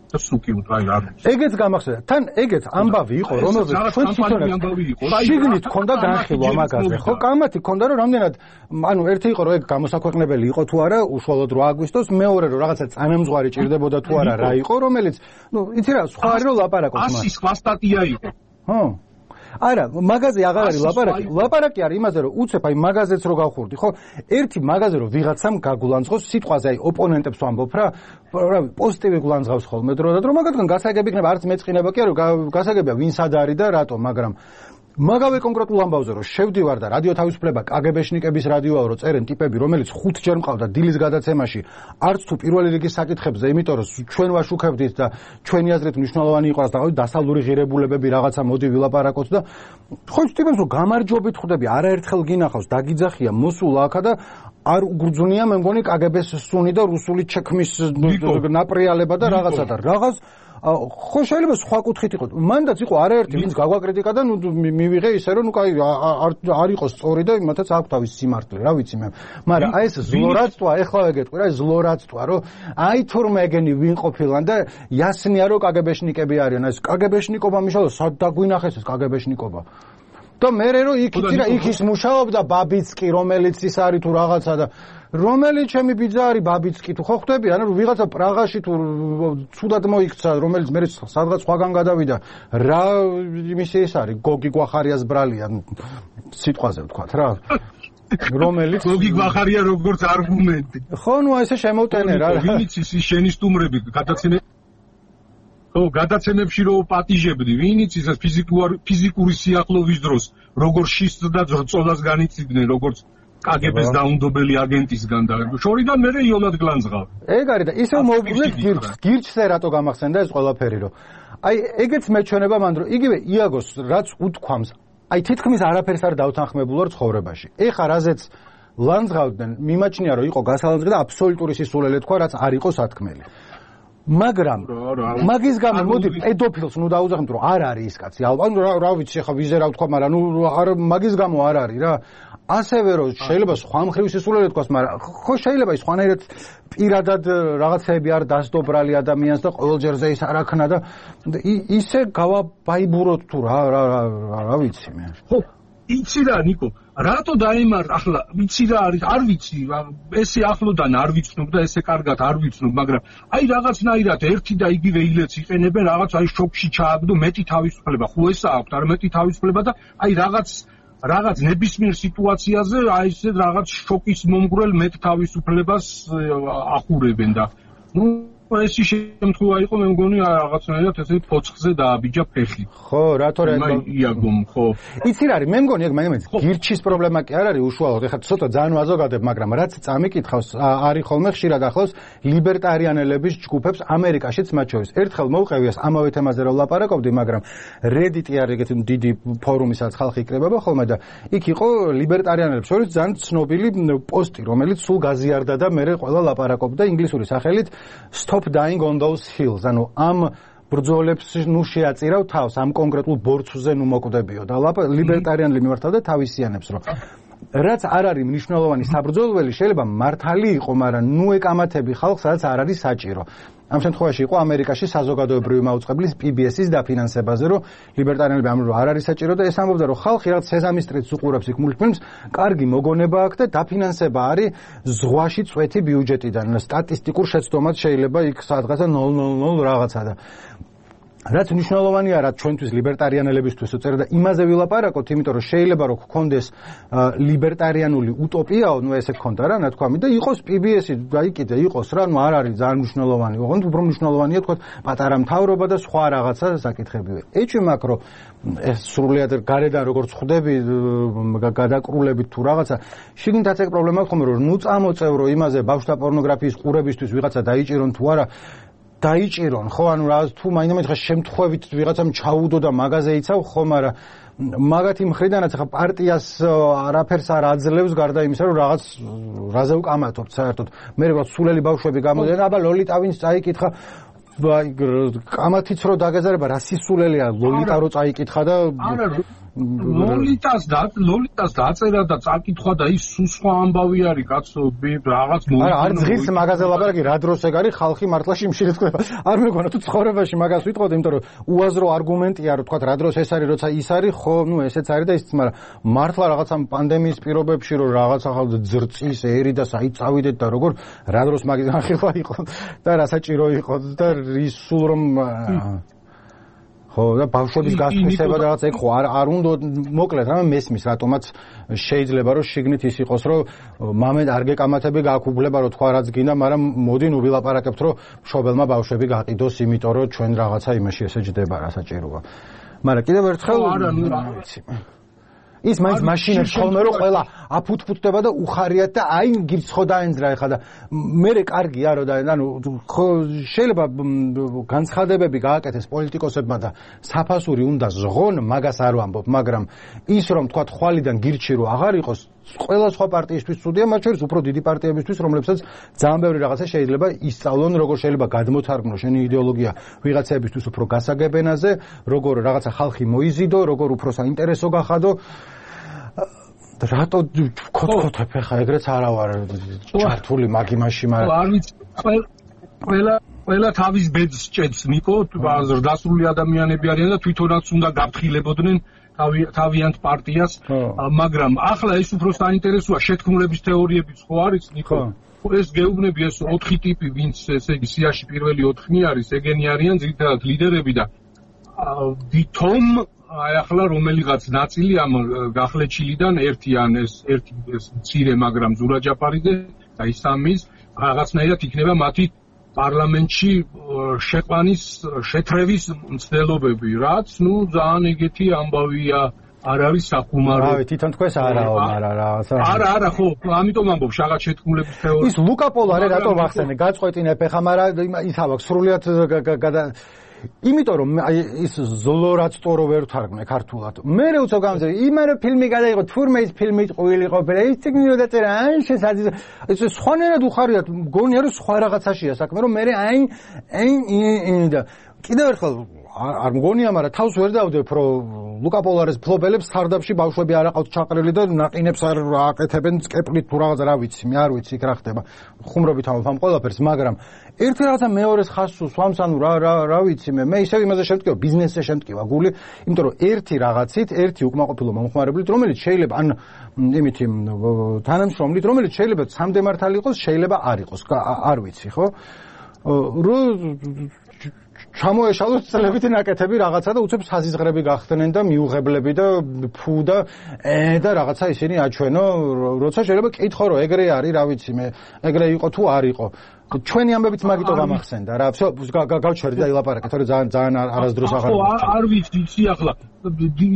და სუკი უტრაი არ. ეგეც გამახსენდა. თან ეგეც ამბავი იყო, რომელზეც ჩვენ თვითონაც შიგნით ქონდა განხილვა მაგაზე, ხო? კამათი ქონდა, რომ რამდენად, ანუ ერთი იყო, რომ ეგ გამოსაქვეყნებელი იყო თუ არა, უშუალოდ 8 აგვისტოს, მეორე რომ რაღაცა წანამძღვარი ჭირდებოდა თუ არა, რა იყო, რომელიც, იცი რა, სხვა არის რომ ლაპარაკობს მას. 100 სხვა სტატია იყო. ხო. არა, მაგაზე აღარ არის ლაპარაკი. ლაპარაკი არის იმაზე, რომ უცებ აი მაგაზეც რო გავხურდი, ხო? ერთი მაგაზე რომ ვიღაცამ გაგულანძღოს სიტყვაზე, აი ოპონენტებს ვამბობ რა, პოზიტივი გულანძღავს ხოლმე დრო და დრო, მაგათგან გასაგები იქნება, არც მეწყინება კი არა, გასაგებია ვინ სად არის და რატო, მაგრამ მაგავე კონკრეტულ ამბავზე რომ შევდივარ და რადიო თავისუფლება კგბ-შნიკების რადიოა რომ წერენ ტიპები რომელიც 5 ჯერ მყავდა დილის გადაცემაში არც თუ პირველი რიგის საკითხებზე იმიტომ რომ ჩვენ ვაშუქებდით და ჩვენი აზრით მნიშვნელოვანი იყო და დასავლური ღირებულებები რაღაცა მოდი ვილაპარაკოთ და ხო ტიპებს რომ გამარჯვებით ხვდები არაერთხელ გინახავს დაგიძახია მოსულა აქა და არ უგრძნია მე მგონი კგბ-ს სუნი და რუსული ჩექმის ნაპრიალება და რაღაცა და რაღაც ხო შეიძლება სხვა კუთხით იყოს. მანდაც იყო არაერთი ვინც გაგვაკრიტიკა და ნუ მივიღე ისე რომ ნუ კაი არ იყოს სწორი და იმათაც აქვს თავის სიმართლე, რა ვიცი მე. მაგრამ აი ეს ზლორაცტვა, ეხლა გეტყვი რა, ზლორაცტვა, რომ აი თურმე ეგენი ვინ ყოფილან და იასნია რომ კგბ-შნიკები არიან. ეს კგბ-შნიკობა მიშალო სად დაგვინახეს ეს კგბ-შნიკობა. და მე რომ იქ ის მუშაობდა ბაბიცკი, რომელიც ის არის თუ რაღაცა და რომელიც ჩემი ბიძა არის ბაბიცკი თუ ხო ხვდები ანუ ვიღაცა პრაღაში თუ ცუდად მოიქცა რომელიც მე სადღაც სხვაგან გადავიდა რა იმისი ეს არის გოგი გვახარიას ბრალია სიტყვაზე ვთქვათ რა რომელიც გოგი გვახარია როგორც არგუმენტი ხო ნუ ესე შემოვტენე რა ვინც ის შენი სტუმრები გადაცემებში რო პატიჟებდი ვინიც ის ფიზიკური სიახლოვის დროს როგორ შისს და ძრწოლას განიცდიდნენ როგორც კგბ-ს დაუნდობელი აგენტისგან და შორიდან მე იოლად გლანძღავ. ეგ არის და ისევ მოუგვლეთ გირჩზე რატო გამახსენდა ეს ყველაფერი რომ აი ეგეც მეჩვენება მანდ რომ იგივე იაგოს რაც უთქვამს აი თითქმის არაფერს არ დავთანხმებულ ვარ ცხოვრებაში. ეხა რაზეც ლანძღავდნენ მიმაჩნია რომ იყო გასალანძღი და აბსოლუტური სისულელე თქვა რაც არ იყო სათქმელი. მაგრამ მაგის გამო მოდი პედოფილს ნუ დაუძახმით რომ არ არის ის კაცი ალბათ რა ვიცი ხა ვიზე რა ვთქვა მაგრამ ნუ არ მაგის გამო არ არის რა ასევე რომ შეიძლება სხვა მხრივ სისულელე თქვას მაგრამ ხო შეიძლება ის სხვანაირად პირადად რაღაცები არ დასდობრალი ადამიანს და ყოველჯერზე ის არ აქნა და ისე გავაბაიბუროთ თუ რა ვიცი მე ხო იცი რა ნიკო რატო დაემარ ახლა ვიცი რა არის არ ვიცი ესე ახლოდან არ ვიცნობ და ესე კარგად არ ვიცნობ მაგრამ აი რაღაცნაირად ერთი და იგივე ილეც იყენებენ რაღაც აი შოკში ჩააგდო მეტი თავისუფლება ხო ესა აქვს არ მეტი თავისუფლება და აი რაღაც ნებისმიერ სიტუაციაზე აი ესე რაღაც შოკის მომგვრელ მეტ თავისუფლებას ახურებენ და ნუ ეს შემთხვევა იყო მე მგონი რაღაცნაირად ესე ფოცხზე დააბიჯა ფეხი. ხო, რატო რა იაგომ ხო. იცი რა არის, მე მგონი ეგ მაგამაც გირჩის პრობლემა კი არ არის უშუალოდ. ეხლა ცოტა ძალიან ვაზოგადებ, მაგრამ რაც წამიკითხავს, არის ხოლმე ხშირად ახლავს ლიბერტარიანელების ჯგუფებს ამერიკაშიც მათ შორის. ერთხელ მოვყევიას ამავე თემაზე რომ ლაპარაკობდი, მაგრამ Reddit-ი არის ეგეთი დიდი ფორუმი, სადაც ხალხი იკრებება ხოლმე და იქ იყო ლიბერტარიანელებს შორის ძალიან ცნობილი პოსტი, რომელიც სულ გაზიარდა და მე ყველა ლაპარაკობდა ინგლისური სახელით Stop dying on those hills. ანუ ამ ბრძოლებს ნუ შეაწირავ თავს ამ კონკრეტულ ბორცვზე ნუ მოკვდებიო და ლიბერტარიანელი მიმართავდა თავისიანებს რომ რაც არ არის მნიშვნელოვანი საბრძოლველი შეიძლება მართალი იყო მაგრამ ნუ ეკამათები ხალხს რაც არ არის საჭირო ამ შემთხვევაში იყო ამერიკაში საზოგადოებრივი მაუწყებლის PBS-ის დაფინანსებაზე რომ ლიბერტარიანები ამბობენ რომ არ არის საჭირო და ეს ამბობდა რომ ხალხი რაღაც სეზამის სტრიტს უყურებს იქ მულტფილმს კარგი მოგონება აქვს და დაფინანსება არის ზღვაში წვეთი ბიუჯეტიდან სტატისტიკურ შეცდომად შეიძლება იქ სადღაცა 0.00 რაღაცა და რაც მნიშვნელოვანია რა ჩვენთვის ლიბერტარიანელებისთვის უწერა და იმაზე ვილაპარაკოთ, იმიტომ რომ შეიძლება რომ გქონდეს ლიბერტარიანული утоპიაო, ნუ ესე გქონდა რა, ნათქვამი და იყოს PBS-ი, აი კიდე იყოს რა, ნუ არ არის ძალიან მნიშვნელოვანი. ოღონდ უფრო მნიშვნელოვანია თქვა პატარა მთავრობა და სხვა რაღაცა საკითხებივე. ეჭვი მაქვს რომ ეს სრულიად გარედან როგორც ხვდები გადაკრულებით თუ რაღაცა, შიგნითაც ეგ პრობლემა ხომ რომ ნუ წამოწევრო იმაზე ბავშვთა პორნოგრაფიის ყურებისთვის ვიღაცა დაიჭირონ თუ არა დაიჭირონ, ხო, ანუ რა თუ მაინდა-მაინც ხა შემთხვევით ვიღაცამ ჩაუდო და მაღაზე იცავ, ხო, მაგრამ მაგათი მხრიდანაც ხა პარტიას არაფერს არ აძლევს გარდა იმისა, რომ რაღაც რაზე უკამათობთ საერთოდ. მე რაღაც სულელი ბავშვები გამოდიან, აბა ლოლიტა ვინც წაიკითხა, კამათიც რო დაგეზარება, რა სისულელია ლოლიტა რო წაიკითხა და ლოლიტას დაწერა და წაკითხვა და ის სხვა ამბავი არის კაცო რაღაც არა არ ძღის მაგაზე ლაპარაკი რა დროს ეგ არის ხალხი მართლა შიმშილით ხდება არ მეგონა თუ ცხოვრებაში მაგას ვიტყოდ იმიტომ რომ უაზრო არგუმენტია რომ თქვა რა დროს ეს არის როცა ის არის ხო ნუ ესეც არის და ისიც მაგრამ მართლა რაღაც ამ პანდემიის პირობებში რომ რაღაც ახალ ძრწის ერი და საით წავიდეთ და როგორ რა დროს მაგის განხილვა იყო და რა საჭირო იყო და რისულ რომ ხო და ბავშვების გასწრება და რაღაც ეგ ხო არ უნდა მოკლედ რამე მესმის რატომაც შეიძლება რომ შიგნით ის იყოს რომ მამედ არ გეკამათები გააკუბლება რომ თქვა რაც გინდა მაგრამ მოდი ნუ ვილაპარაკებთ რომ მშობელმა ბავშვები გაყიდოს იმიტომ რომ ჩვენ რაღაცა იმაში ესე ჯდება რა საჭიროა მაგრამ კიდევ ერთხელ არა ნუ რა ვიცი ის მაინც მაშინებს ხოლმე რომ ყველა აფუთფუთდება და უხარიათ და აი გირც ხო დაენძრა ეხლა და მე კარგია რომ და ანუ ხო შეიძლება განცხადებები გააკეთეს პოლიტიკოსებმა და საფასური უნდა ზღონ მაგას არ ვამბობ მაგრამ ის რომ თქვა ხვალიდან გირჩი რომ აღარ იყოს ყველა სხვა პარტიისთვის ცუდია მათ შორის უფრო დიდი პარტიებისთვის რომლებსაც ძალიან ბევრი რაღაცა შეიძლება ისწავლონ როგორ შეიძლება გადმოთარგმნოს შენი იდეოლოგია ვიღაცებისთვის უფრო გასაგებენაზე როგორ რაღაცა ხალხი მოიზიდო როგორ უფრო საინტერესო გახადო რატო ქოთქოთებ ხა ეგრეც არა ვარ ჩართული მაგ იმაში მაგრამ არ ვიცი ყველა თავის ბედს ჭედს ნიკო ზრდასრული ადამიანები არიან და თვითონაც უნდა გაფრთხილებოდნენ თავიანთ პარტიას მაგრამ ახლა ეს უფრო საინტერესოა შეთქმულების თეორიებიც ხო არის ნიკო ეს გეუბნები ეს 4 ტიპი ვინც ესე იგი სიაში პირველი 4 არის ეგენი არიან ძირითადად ლიდერები და ვითომ აი ახლა რომელიღაც ნაწილი ამ გახლეჩილიდან ერთი მცირე მაგრამ ზურა ჯაფარიძე და ისამის რაღაცნაირად იქნება მათი პარლამენტში შეყვანის შეთრევის მცდელობები რაც ნუ ძალიან ეგეთი ამბავია არ არის სახუმარო რავი თვითონ თქვენს არაო მაგრამ რაღაცა არა ხო ამიტომ ამბობ რაღაც შეთქმულების თეორია ის ლუკაპოლარე რატო ვახსენე გაწყვეტინებ ხა მაგრამ ის ავაქვს სრულიად იმიტომ რომ ის ზოლორაცტორო ვერ თარგმნე ქართულად. მე უცებ გამძე, იმარე ფილმი გადაიღო, თურმე ის ფილმი ყვილი ყოფილა, ის წიგნი რო დაწერა, ან შესაძ ეს სხვანაირად უხარიათ, მგონია რომ სხვა რაღაცაშია საქმე, რომ მე და კიდევ ერთხელ არ მგონია, მაგრამ თავს ვერ დავდებ, რომ ლუკა პოლარეს ფლობელებს სარდაფში ბავშვები არ აყავთ ჩაყრილი და ნაყინებს არ აკეთებენ სკეპლით თუ რაღაც რა ვიცი, მე არ ვიცი იქ რა ხდება. ხუმრობით ამ ყველაფერს, მაგრამ ერთი რაღაცა მეორეს ხაზს სვამს, ანუ რა ვიცი მე ისევ იმაზე შემტკივა, ბიზნესზე შემტკივა გული, იმიტომ რომ ერთი რაღაცით, ერთი უკმაყოფილო მომხმარებლით, რომელიც შეიძლება ან იმითი თანამშრომლით, რომელიც შეიძლება სამდე მართალი იყოს, შეიძლება არ იყოს, არ ვიცი, ხო? ჩამოეშალოს წლებითი ნაკეთები რაღაცა და უცებ საზიზღრები გახდნენ და მიუღებლები და ფუ და და რაღაცა ისინი აჩვენო, როცა შეიძლება კითხო რომ ეგრე არის, რა ვიცი მე, ეგრე იყო თუ არ იყო. ჩვენი ამბებიც მაგიტო გამახსენდა რა. გავჩერდი და ილაპარაკეთ, თორე ძალიან არასდროს აღარ არ ვიცი, იცი ახლა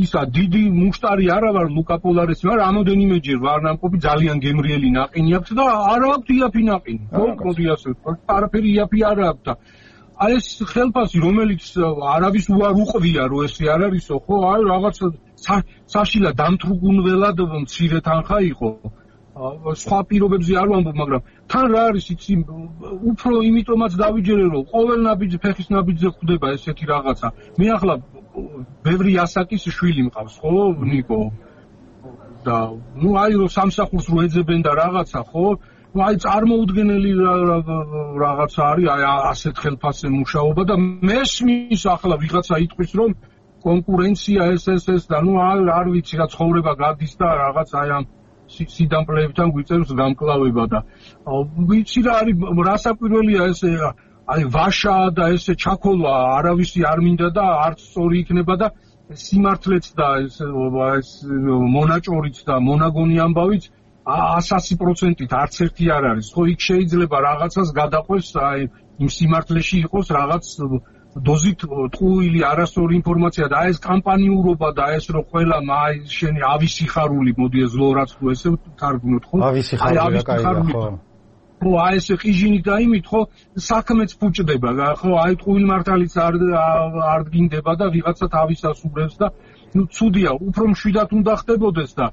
ისა დიდი მუშტარი არა ვარ ლუკა პოლარეს, მაგრამ რამოდენიმეჯერ ვარ ნამყოფი ძალიან გემრიელი ნაყინი აქვს და არ აქვს იაფი ნაყინი. მოკლედ ასე, არაფერი იაფი არ აქვს და აი ეს ხელფასი რომელიც არავის უარ უყვია რომ ესე არ არისო ხო აი რაღაც საშილა დამთრუგუნველად მცირე თანხა იყო სხვა პირობებზე არ ვამბობ მაგრამ თან რა არის იცი უფრო იმიტომაც დავიჯერე რომ ყოველ ნაბიჯ ფეხის ნაბიჯზე ხვდება ესეთი რაღაცა მე ახლა ბევრი ასაკის შვილი მყავს ხო ნიკო და ნუ აი რომ სამსახურს რო ეძებენ და რაღაცა ხო აი წარმოუდგენელი რაღაცა არის აი ასეთ ხელფასზე მუშაობა და მესმის ახლა ვიღაცა იტყვის რომ კონკურენცია ეს და ნუ არ ვიცი რა ცხოვრება გადის და რაღაც აი ამ სიდამპლებთან გვიწევს გამკლავება და ვიცი რა არის რასაკვირველია ეს აი ვაშა და ესე ჩაქოლვა არავისი არ მინდა და არც სწორი იქნება და სიმართლეც და ეს მონაჭორიც და მონაგონი ამბავიც 100%-ით არც ერთი არ არის. ხო იქ შეიძლება რაღაცას გადაყვეს, აი იმ სიმართლეში იყოს რაღაც დოზით ტყუილი არასწორი ინფორმაცია და აი ეს კამპანიურობა და ეს რო ყველა აი შენი ავი სიხარული მოდი ეს ლორაც თუ ესე თარგმნოთ ხო? ავი სიხარული რა კაია ხო? ხო აი ეს ყიჟინით და იმით ხო საქმეც ფუჭდება ხო აი ტყუილ მართალიც არ დგინდება და ვიღაცა თავისას უბრებს და ნუ ცუდია უფრო მშვიდად უნდა ხდებოდეს და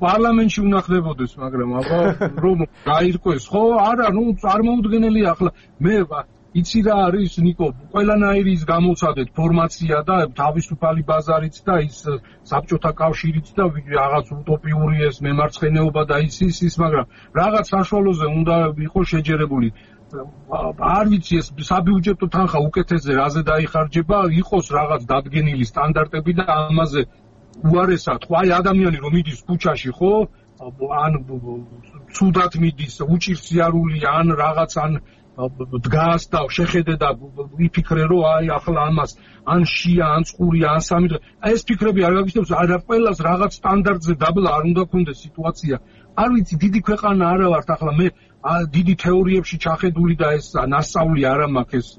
პარლამენტში უნდა ხდებოდეს მაგრამ აბა რომ გაირკვეს ხო არა ნუ წარმოუდგენელია ახლა მე იცი რა არის ნიკო ყველანაირი ის გამოცადეთ ფორმაცია და თავისუფალი ბაზარიც და ის საბჭოთა კავშირიც და რაღაც უტოპიური ეს მემარცხენეობა და ის მაგრამ რაღაც საშუალოზე უნდა იყოს შეჯერებული არ ვიცი ეს საბიუჯეტო თანხა უკეთესზე რაზე დაიხარჯება იყოს რაღაც დადგენილი სტანდარტები და ამაზე უარესად ხო აი ადამიანი რომ მიდის ქუჩაში ხო ან ცუდად მიდის უჭირს სიარული ან რაღაც ან დგას და შეხედე და იფიქრე რომ აი ახლა ამას ან შია ან წყურია ან სამი აი ეს ფიქრები არ გაგიჩნდებს არა ყველას რაღაც სტანდარტზე დაბლა არ უნდა ქონდეს სიტუაცია არ ვიცი დიდი ქვეყანა არა ვართ ახლა მე დიდი თეორიებში ჩახედული და ეს ნასწავლი არ მაქვს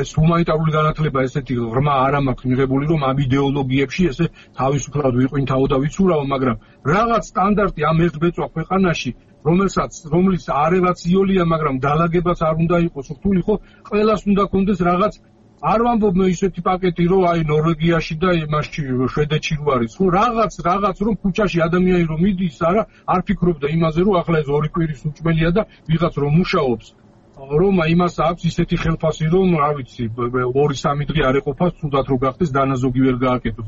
ეს ჰუმანიტარული განათლება ესეთი ღრმა არ მაქვს მიღებული რომ ამ იდეოლოგიებში ესე თავისუფლად ვიყვინთავო და ვიცურავო მაგრამ რაღაც სტანდარტი ამ ერთბეწვა ქვეყანაში რომელიც არევაც იოლია მაგრამ დაალაგებაც არ უნდა იყოს რთული ხო ყველას უნდა კონდეს რაღაც არ ვამბობ მე ისეთი პაკეტი რომ აი ნორვეგიაში და იმაში შვედეთში რო არის ხო რაღაც რომ ქუჩაში ადამიანი რომ მიდის არ ფიქრობდა იმაზე რომ ახლა ეს ორი კვირის უჭმელია და ვიღაც რომ მუშაობს რომ იმას აქვს ისეთი ხელფასი რომ რა ვიცი 2-3 დღე არ ეყოფა თუდად რო გახდეს დანაზოგი ვერ გააკეთოს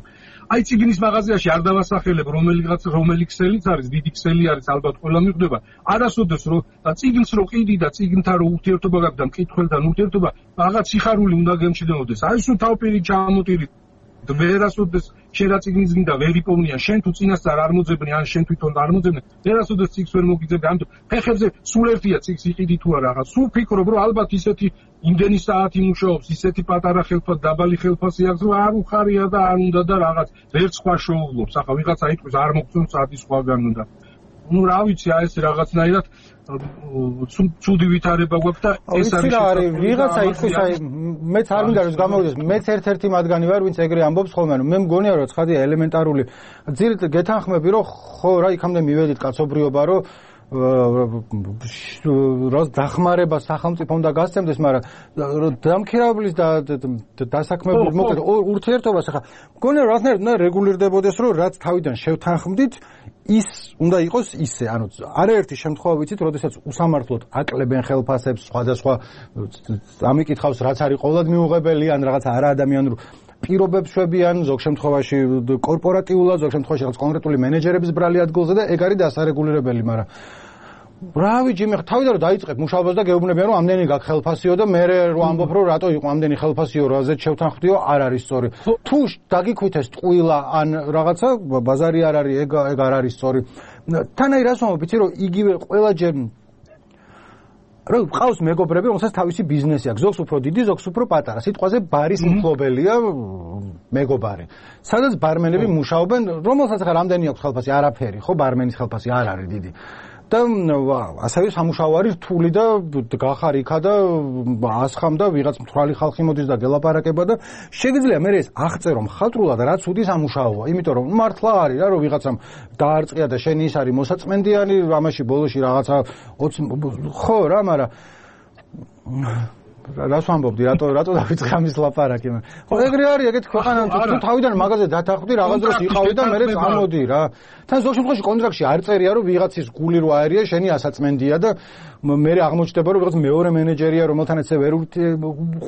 აი ციგნის მაღაზიაში არ დავასახელებ რომელი ქსელიც არის დიდი ქსელი არის ალბათ ყველა მიხვდება არასოდეს რომ ციგნს რო ყიდი და ციგნთან რო ურთიერთობა გაქვს და მკითხველთან ურთიერთობა რაღაც სიხარული უნდა გემჩნეოდეს აი სულ თავპირი ჩამოტირი ვერასოდეს შერაციგნის გინდა ვერ იპოვნიან შენ თუ წინასწარ არ მოძებნი ან შენ თვითონ არ მოძებნე ვერასოდეს ციგს ვერ მოგიძებდი ამიტომ ფეხებზე სულ ერთია ციგს იყიდი თუ არა რაღაც სულ ფიქრობ რომ ალბათ ისეთი იმდენი საათი მუშაობს ისეთი პატარა ხელფასი დაბალი ხელფასი აქვს რომ არ უხარია და არ უნდა და რაღაც ვერ სხვა შოულობს ახლა ვიღაცა იტყვის არ მოგწონს საათი სხვაგან უნდა ну რა ვიცი აი ეს რაღაცნაირად ცუდი ვითარება გვაქვს და ეს არის ვიღაცა იტყვის აი მეც არ მინდა რომ გამოვიდეს მეც ერთ-ერთი მათგანი ვარ ვინც ეგრე ამბობს ხოლმე მე მგონია რომ ცხადია ელემენტარული ძირით გეთანხმები რომ ხო რა იქამდე მივედით კაცობრიობა რომ რას დახმარება სახელმწიფო უნდა გასცემდეს მაგრამ დამქირავებლის და დასაქმებლის მოკლედ ურთიერთობას ახლა მგონია რაღაცნაირად უნდა რეგულირდებოდეს რომ რაც თავიდან შევთანხმდით ის უნდა იყოს ისე ანუ არაერთი შემთხვევა ვიცით როდესაც უსამართლოდ აკლებენ ხელფასებს სხვადასხვა ამიკითხავს რაც არის ყოველად მიუღებელი ან რაღაც არაადამიანურ პირობებს შვებიან ზოგ შემთხვევაში კორპორატიულად ზოგ შემთხვევაში რაღაც კონკრეტული მენეჯერების ბრალი ადგილზე და ეგ არის დასარეგულირებელი მაგრამ რავი ჯიმი თავიდან რომ დაიწყებ მუშაობას და გეუბნებიან რომ ამდენი გაქვს ხელფასიო და მე რო ამბობ რომ რატო იყო ამდენი ხელფასიო რაზეც შევთანხმდიო არ არის სწორი თუ დაგიქვithეს ტყუილა ან რაღაცა ბაზარი არ არის ეგ არ არის სწორი თანაი რას ვამბობ იცი რომ იგივე ყველაჯერ რომ ყავს მეგობრები რომელსაც თავისი ბიზნესი აქვს ზოგს უფრო დიდი ზოგს უფრო პატარა სიტყვაზე ბარის მფლობელია მეგობარი სადაც ბარმენები მუშაობენ რომელსაც ხარ რამდენი აქვს ხელფასი არაფერი ხო ბარმენის ხელფასი არ არის დიდი და ასევე სამუშაო არის რთული და გახარ იქა და ასხამ და ვიღაც მთვრალი ხალხი მოდის და გელაპარაკება და შეგიძლია მე ეს აღწერო მხატვრულად რაც უთი სამუშაოა იმიტომ რომ მართლა არის რა რომ ვიღაცამ დაარწყია და შენი ის არის მოსაწმენდიანი ამაში ბოლოში რაღაცა 20 ხო რა მაგრამ რას ვამბობდი რატო დავიწყე ამის ლაპარაკი ხო ეგრე არის ეგეთ ქვეყანა თუ თავიდან მაღაზიაზე დათანხმდი რაღაც დროს იყავდი და მე წამოდი რა თან ზოგ შემთხვევაში კონტრაქტში არ წერია რომ ვიღაცის გული რო აერია შენი ასაწმენდია და მე აღმოჩნდება რომ ვიღაც მეორე მენეჯერია რომელთან ეცე ვერ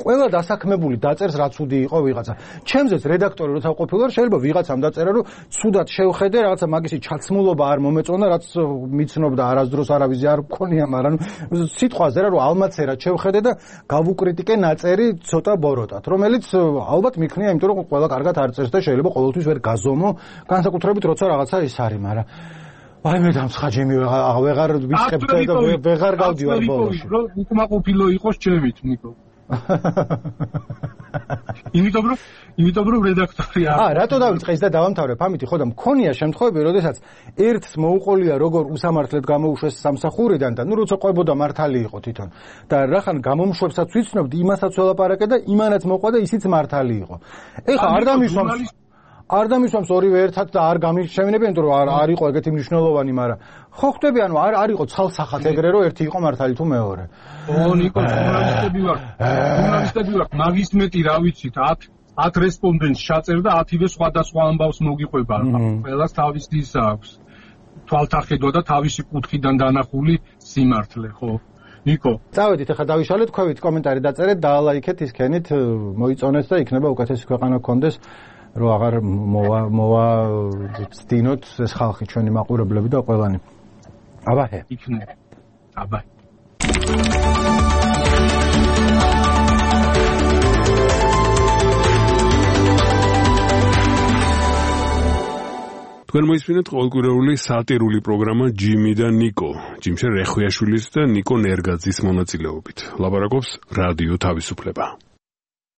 ყველა დასაქმებული დაწერს რაც უდი იყო ვიღაცა ჩემზეც რედაქტორი როცა ყოფილა შეიძლება ვიღაცამ დაწერა რომ ცუდად შევხედე რაღაცა მაგისი ჩაცმულობა არ მომეწონა რაც მიცნობდა არასდროს არავის არ მქონია მაგრამ სიტყვაზე რა რომ ალმაცერად შევხედე და გავუკრიტიკე ნაწერი ცოტა ბოროტად რომელიც ალბათ მიქნია იმიტომ რომ ყველა კარგად არ წერს და შეიძლება ყოველთვის ვერ გაზომო განსაკუთრებით როცა რაღაცა ის არის მაგრამ აი მე დამცხაჯემი ვეღარ ვიწყებ და ვეღარ გავდივარ ბოლოში რომ უკმაყოფილო იყოს ჩემით ნიკო იმიტომ რომ რედაქტორი არ რატო დავიწყე ის და დავამთავრებ ამით ხო და მქონია შემთხვევები როდესაც ერთს მოუყოლია როგორ უსამართლოდ გამოუშვეს სამსახურიდან და ნუ როცა ყვებოდა მართალი იყო თვითონ და რახან გამომშვებსაც ვიცნობდი იმასაც ველაპარაკე და იმანაც მოყვა და ისიც მართალი იყო ეხლა არ დამისვამს არ დამისვამს ორივე ერთად და არ გამიშევინებიან, იმიტომ რომ არ იყო ეგეთი მნიშვნელოვანი, მაგრამ ხო ხვდები, ანუ არ იყო ცალსახად ეგრე, რომ ერთი იყო მართალი თუ მეორე. ნიკო, ჟურნალისტები ვართ, მაგის მეტი რა ვიცით, 10 რესპონდენტს ჩაწერდა 10-ვე სხვადასხვა ამბავს მოგიყვება. ყველას თავისი ის აქვს. თვალთახედვა და თავისი კუთხიდან დანახული სიმართლე, ხო? ნიკო. წავედით, ახლა დავიშალეთ, ქვევით კომენტარი დაწერეთ, დაალაიქეთ ისქენით, მოიწონეთ და იქნება უკეთესი ქვეყანა გქონდეს, რომ აღარ მოვაცდინოთ ეს ხალხი, ჩვენი მაყურებლები და ყველანი. აბაჰე. იქნება. აბაჰე. თქვენ მოისმინეთ ყოველკვირეული სატირული პროგრამა ჯიმი და ნიკო, ჯიმშე რეხვიაშვილის და ნიკო ნერგაძის მონაწილეობით. ლაპარაკობს რადიო თავისუფლება.